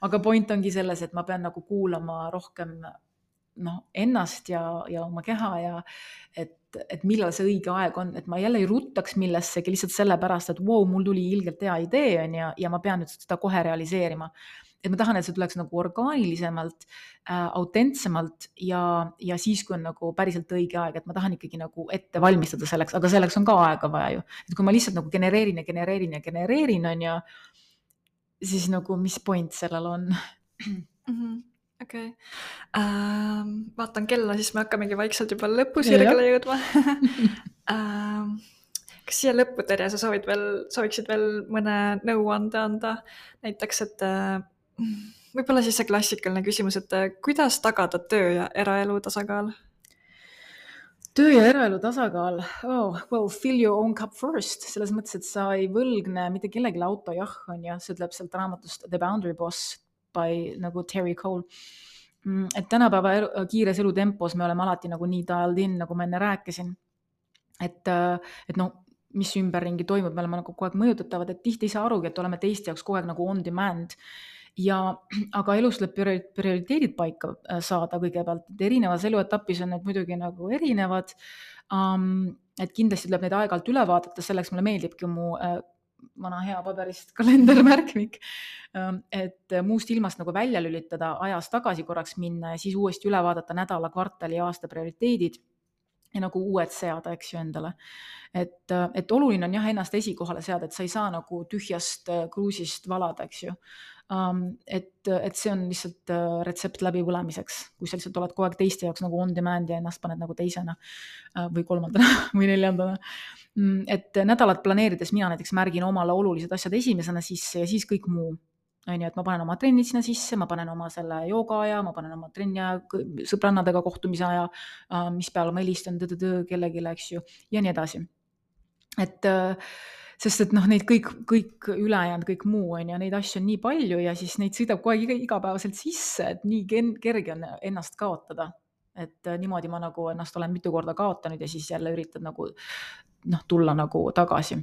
aga point ongi selles, et ma pean nagu kuulama rohkem noh, ennast ja, ja oma keha ja et, et millal see õige aeg on, et ma jälle ei ruttaks millessegi lihtsalt sellepärast, et wow, mul tuli ilgelt hea idee on ja, ja ma pean nüüd seda kohe realiseerima. Et ma tahan, et see tuleks nagu orgaanilisemalt, äh, autentsemalt ja, ja siis, kui on nagu päriselt õige aeg, et ma tahan ikkagi nagu ette valmistada selleks, aga selleks on ka aega vaja ju. Et kui ma lihtsalt nagu genereerin ja genereerin ja genereerin on ja siis nagu mis point sellel on? Mm-hmm. Okei, okay. ähm, vaatan kella, siis me hakkamegi vaikselt juba lõpusirgele jõudma. ähm, kas siia lõppu, Terje, sa soovid veel, sooviksid veel mõne nõuande anda? Näiteks, et äh, võib-olla siis see klassikaline küsimus, et äh, kuidas tagada töö ja eraelu tasakaal? töö ja eraelu tasakaal. Oh, well, fill your own cup first. Selles mõttes, et sa ei võlgne mitte kellegi auto, jah, on ja see ütleb sealt raamatust The Boundary Boss by nagu Terry Cole. Et tänapäeva elu, kiires elutempos me oleme alati nagu nii dialed in, nagu ma enne rääkisin. Et, et no, mis ümberringi toimub, me oleme nagu kogu aeg mõjutatavad, et tihti ei saa arugi, et oleme teiste jaoks kogu aeg nagu on demand. Ja, aga elus tuleb prioriteedid paika saada kõigepealt, et erinevas eluetapis on need muidugi nagu erinevad, um, et kindlasti tuleb neid aeg-ajalt üle vaadata, selleks mulle meeldibki mu äh, vana hea paberist kalendermärkmik, um, et muust ilmast nagu välja lülitada, ajas tagasi korraks minna ja siis uuesti üle vaadata nädala, kvartali, aasta prioriteedid ja nagu uued seada, eks ju endale. Et, et oluline on jah ennast esikohale seada, et sa ei saa nagu tühjast kruusist valada, eks ju. Um, et, et see on lihtsalt uh, retsept läbi põlemiseks, kui sa lihtsalt oled kogu aeg teiste jaoks nagu on demand ja ennast paned nagu teisena uh, või kolmandana või neljandana. Mm, et nädalat planeerides mina näiteks märgin omale olulised asjad esimesena sisse ja siis kõik muu. On ju, et ma panen oma trennid sinna sisse, ma panen oma selle jooga aja, ma panen oma trenni aja, sõbrannadega kohtumise aja, uh, mis peale ma helistan kellelegi, eks ju, ja nii edasi. Et uh, sest et noh, neid kõik, kõik ülejäänud, kõik muu on ja neid asju on nii palju ja siis neid sõidab kogu aeg igapäevaselt sisse, et nii kerge on ennast kaotada. Et niimoodi ma nagu ennast olen mitu korda kaotanud ja siis jälle üritad nagu noh, tulla nagu tagasi.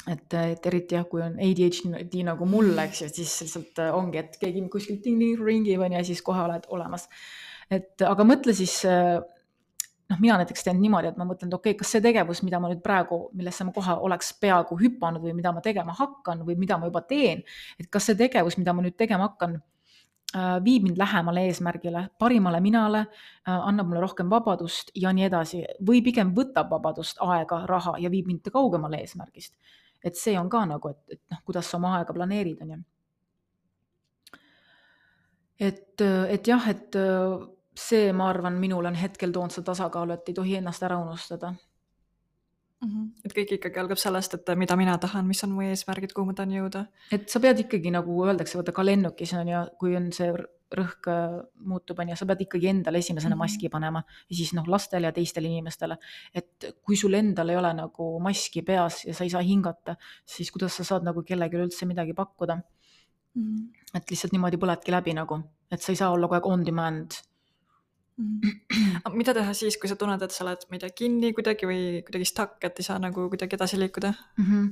Et, et eriti jah, kui on A D H D nagu mul, eks ju, siis lihtsalt ongi, et keegi kuskilt ting-ting ringib ja siis kohe oled olemas. Et aga mõtle siis noh, mina näiteks teen niimoodi, et ma mõtlen, et okei, okay, kas see tegevus, mida ma nüüd praegu, millesse ma kohe oleks peaaegu hüpanud või mida ma tegema hakkan või mida ma juba teen, et kas see tegevus, mida ma nüüd tegema hakkan, viib mind lähemale eesmärgile, parimale minale, annab mulle rohkem vabadust ja nii edasi, või pigem võtab vabadust, aega, raha ja viib mind kaugemale eesmärgist. Et see on ka nagu, et, et noh, kuidas sa oma aega planeerid, on ju. Et, et jah, et see, ma arvan, minul on hetkel toonud seda tasakaalu, et ei tohi ennast ära unustada. Mm-hmm. Et kõik ikkagi algab sellest, et mida mina tahan, mis on mu eesmärgid, kuhu ma tahan jõuda. Et sa pead ikkagi, nagu öeldakse, võtta ka lennukis on ja kui on see rõhk muutub, on ja sa pead ikkagi endale esimesena mm-hmm. maski panema ja siis noh, lastele ja teistele inimestele. Et kui sul endal ei ole nagu maski peas ja sa ei saa hingata, siis kuidas sa saad nagu kellegi üldse midagi pakkuda. Mm-hmm. Et lihtsalt niimoodi põledki läbi nagu, et sa ei saa olla kogu aeg on demand. Mm. Mida teha siis, kui sa tunned, et sa oled mida kinni kuidagi või kuidagi stuck, et ei saa nagu kuidagi edasi liikuda? Mm-hmm.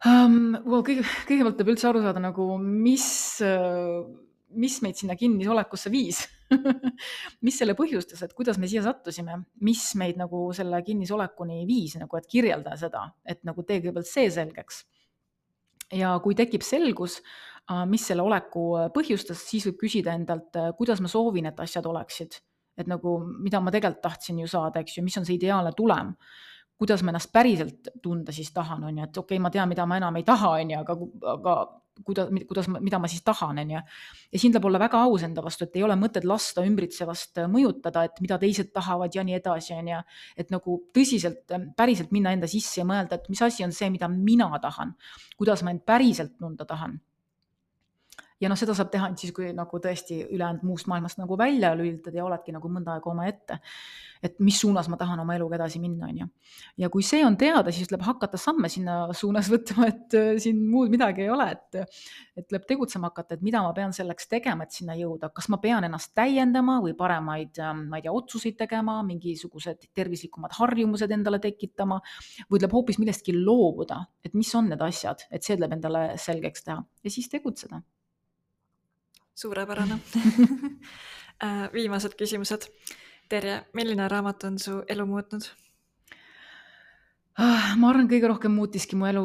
Um, well, kõige, kõigepealt peab üldse aru saada, nagu, mis, mis meid sinna kinnisolekusse viis. Mis selle põhjustas, et kuidas me siia sattusime, mis meid nagu selle kinnisolekuni viis, nagu, et kirjelda seda, et nagu tee kõigepealt see selgeks. Ja kui tekib selgus, mis selle oleku põhjustas, siis võib küsida endalt, kuidas ma soovin, et asjad oleksid. Et nagu, mida ma tegelikult tahtsin ju saada, eks ju, mis on see ideaalne tulem. Kuidas ma ennast päriselt tunda siis tahan, on ju, et okei, okay, ma tean, mida ma enam ei taha, on ju, aga, aga kuidas, kuidas, mida ma siis tahan, on ju. Ja siin tuleb olla väga aus enda vastu, et ei ole mõtet lasta ümbritsevast mõjutada, et mida teised tahavad ja nii edasi, on ju. Et nagu tõsiselt, päriselt minna enda sisse ja mõelda, et mis asi on see, mida mina tahan, kuidas ma end päriselt tunda tahan. Ja noh, seda saab teha siis, kui nagu tõesti ülejäänud muust maailmast nagu välja lülitad ja oledki nagu mõnda aega oma ette, et mis suunas ma tahan oma eluga edasi minna, on ju. Ja kui see on teada, siis tuleb hakata samme sinna suunas võtma, et siin muud midagi ei ole, et, et tuleb tegutsema hakata, et mida ma pean selleks tegema, et sinna jõuda. Kas ma pean ennast täiendama või paremaid, ma ei tea, otsuseid tegema, mingisugused tervislikumad harjumused endale tekitama või tuleb hoopis millestki loobuda, et mis on need asjad, et see tuleb endale selgeks teha ja siis tegutseda. Suurepärane. Viimased küsimused. Terje, milline raamat on su elu muutnud? Ma arvan, kõige rohkem muutiski mu elu.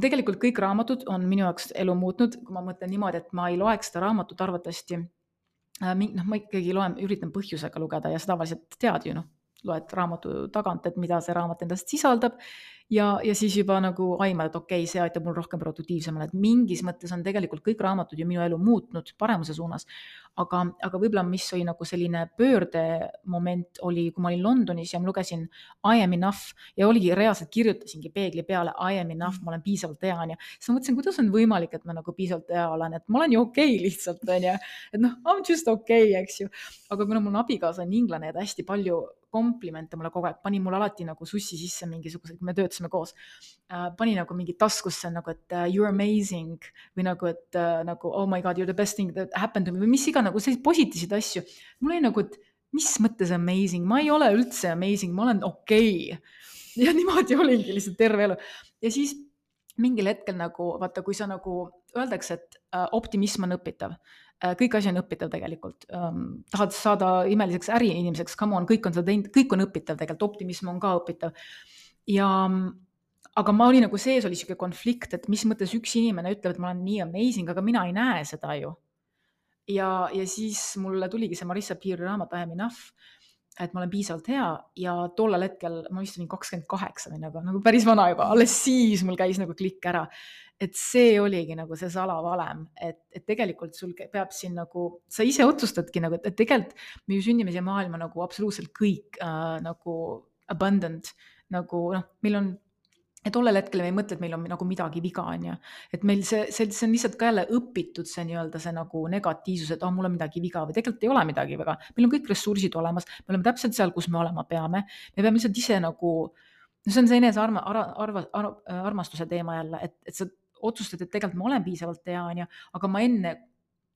Tegelikult kõik raamatud on minu jaoks elu muutnud, kui ma mõtlen niimoodi, et ma ei loeks seda raamatut arvatavasti. No, ma ikkagi loen, üritan põhjusega lugeda ja seda tavaliselt tead ju, noh, loed raamatu tagant, et mida see raamat endast sisaldab ja, ja siis juba nagu aimad, et okei okay,, see aitab mul rohkem produktiivsemale, et mingis mõttes on tegelikult kõik raamatud ju minu elu muutnud paremuse suunas. Aga, aga võib-olla, mis oli nagu selline pöördemoment oli, kui ma olin Londonis ja ma lugesin I am enough ja oligi reaalselt kirjutasingi peegli peale I am enough, ma olen piisavalt hea, on ju. Siis ma mõtlesin, kuidas on võimalik, et ma nagu piisavalt hea olen, et ma olen ju okei okay lihtsalt, on ju. Et noh, I'm just okei okay,, eks ju. Aga kuna mul abikaasa on inglane ja ta hästi palju komplimente mulle kogu aeg, pani mulle alati nagu sussi sisse mingisugused, kui me töötasime koos, äh, pani nagu mingi taskusse nagu, et uh, you're amazing või nagu, et uh, nagu oh my god, you're the best thing that happened to me või mis iga nagu selliseid positiivseid asju. Mul oli nagu, et mis mõttes amazing, ma ei ole üldse amazing, ma olen okei okay. Ja niimoodi olingi lihtsalt terve elu. Ja siis mingil hetkel nagu, vaata, kui sa nagu öeldakse, et uh, optimism on õpitav, kõik asi on õpitav tegelikult. Um, tahad saada imeliseks äriinimeseks, come on, kõik on seda teinud, kõik on õpitav tegelikult, optimism on ka õpitav. Ja, aga ma olin nagu sees, oli siuke konflikt, et mis mõttes üks inimene ütleb, et ma olen nii amazing, aga mina ei näe seda ju. Ja, ja siis mulle tuligi see Marissa Peeri raamat I am enough, et ma olen piisavalt hea ja tollel hetkel ma vist olin kakskümmend kaheksa või nagu, nagu päris vana juba, alles siis mul käis nagu klikk ära. Et see oligi nagu see salavalem, et, et tegelikult sul peab siin nagu, sa ise otsustadki nagu, et tegelikult me ju sünnime siia maailma nagu absoluutselt kõik äh, nagu abundant, nagu noh, meil on, et tollel hetkel me ei mõtle, et meil on nagu midagi viga, on ju. Et meil see, see, see on lihtsalt ka jälle õpitud see nii-öelda see nagu negatiivsus, et oh, mul on midagi viga või tegelikult ei ole midagi viga. Meil on kõik ressursid olemas, me oleme täpselt seal, kus me olema peame. Me peame lihtsalt ise nagu, see on see enese arma, arva, arva, arva, armastuse teema jälle, et, et sa otsustad, et tegelikult ma olen piisavalt hea, on ju, aga ma enne,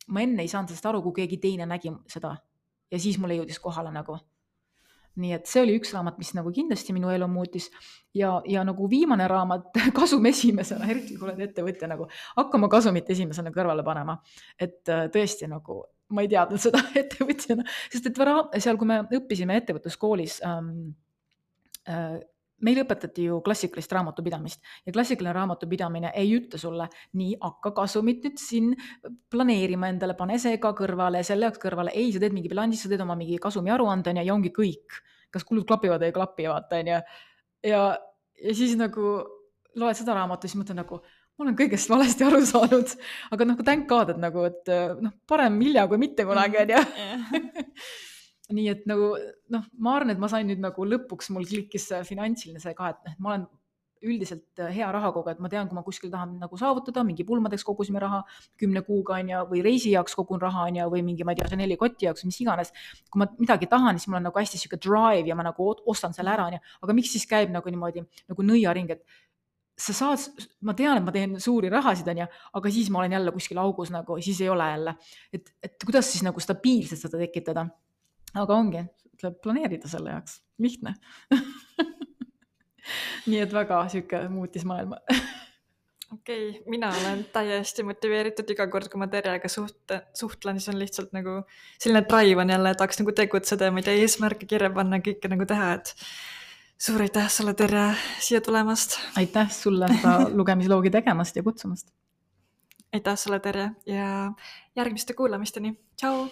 ma enne ei saanud sellest aru, kui keegi teine nägi seda ja siis mulle jõudis kohale nagu. Nii et see oli üks raamat, mis nagu kindlasti minu elu muutis ja, ja nagu viimane raamat kasum esimesena, eriti kui oled ettevõtja nagu, hakkama kasumit esimesena kõrvale panema. Et tõesti nagu, ma ei teadnud seda ettevõtjana, sest et seal, kui me õppisime ettevõtluskoolis, ähm, äh, meil õpetati ju klassikalist raamatupidamist ja klassikaline raamatupidamine ei ütle sulle nii, hakka kasumit nüüd siin planeerima endale, pane see ka kõrvale, selle jaoks kõrvale. Ei, sa teed mingi bilansi, sa teed oma mingi kasumi aruande ja ongi kõik. Kas kulud klapivad või ei klapi, vaata, on ju. Ja, ja siis nagu loed seda raamatu, siis mõtlen nagu, ma olen kõigest valesti aru saanud, aga nagu thank God, et nagu, et noh, parem hilja kui mitte kunagi, on ju. Nii et nagu, noh, ma arvan, et ma sain nüüd nagu lõpuks mul klikkis finantsiline see ka, et ma olen üldiselt hea rahakogu, et ma tean, kui ma kuskil tahan nagu saavutada, mingi pulmadeks kogusime raha kümne kuuga on ja, või reisi jaoks kogun raha on ja, või mingi, ma ei tea, see neli kotti jaoks, mis iganes. Kui ma midagi tahan, siis mul on nagu hästi siuke drive ja ma nagu ostan selle ära, on ja, aga miks siis käib nagu niimoodi nagu nõiaring, et sa saad, ma tean, et ma teen suuri rahasid, on ja, aga siis ma olen jälle kuskil augus nagu, siis ei ole jälle. Et, et kuidas siis nagu stabiilselt seda tekitada? Aga ongi, tuleb planeerida selle jaoks, lihtne. Nii et väga siuke muutis maailma. Okei, okay, mina olen täiesti motiveeritud iga kord, kui ma Terjega suht, suhtlen, siis on lihtsalt nagu selline drive on jälle, tahaks nagu tegutseda ja ma ei tea, eesmärke kirja panna, kõike nagu teha, et suur aitäh sulle, Terje, siia tulemast. Aitäh sulle seda lugemisloogi tegemast ja kutsumast. Aitäh sulle, Terje, ja järgmiste kuulamisteni. Tšau!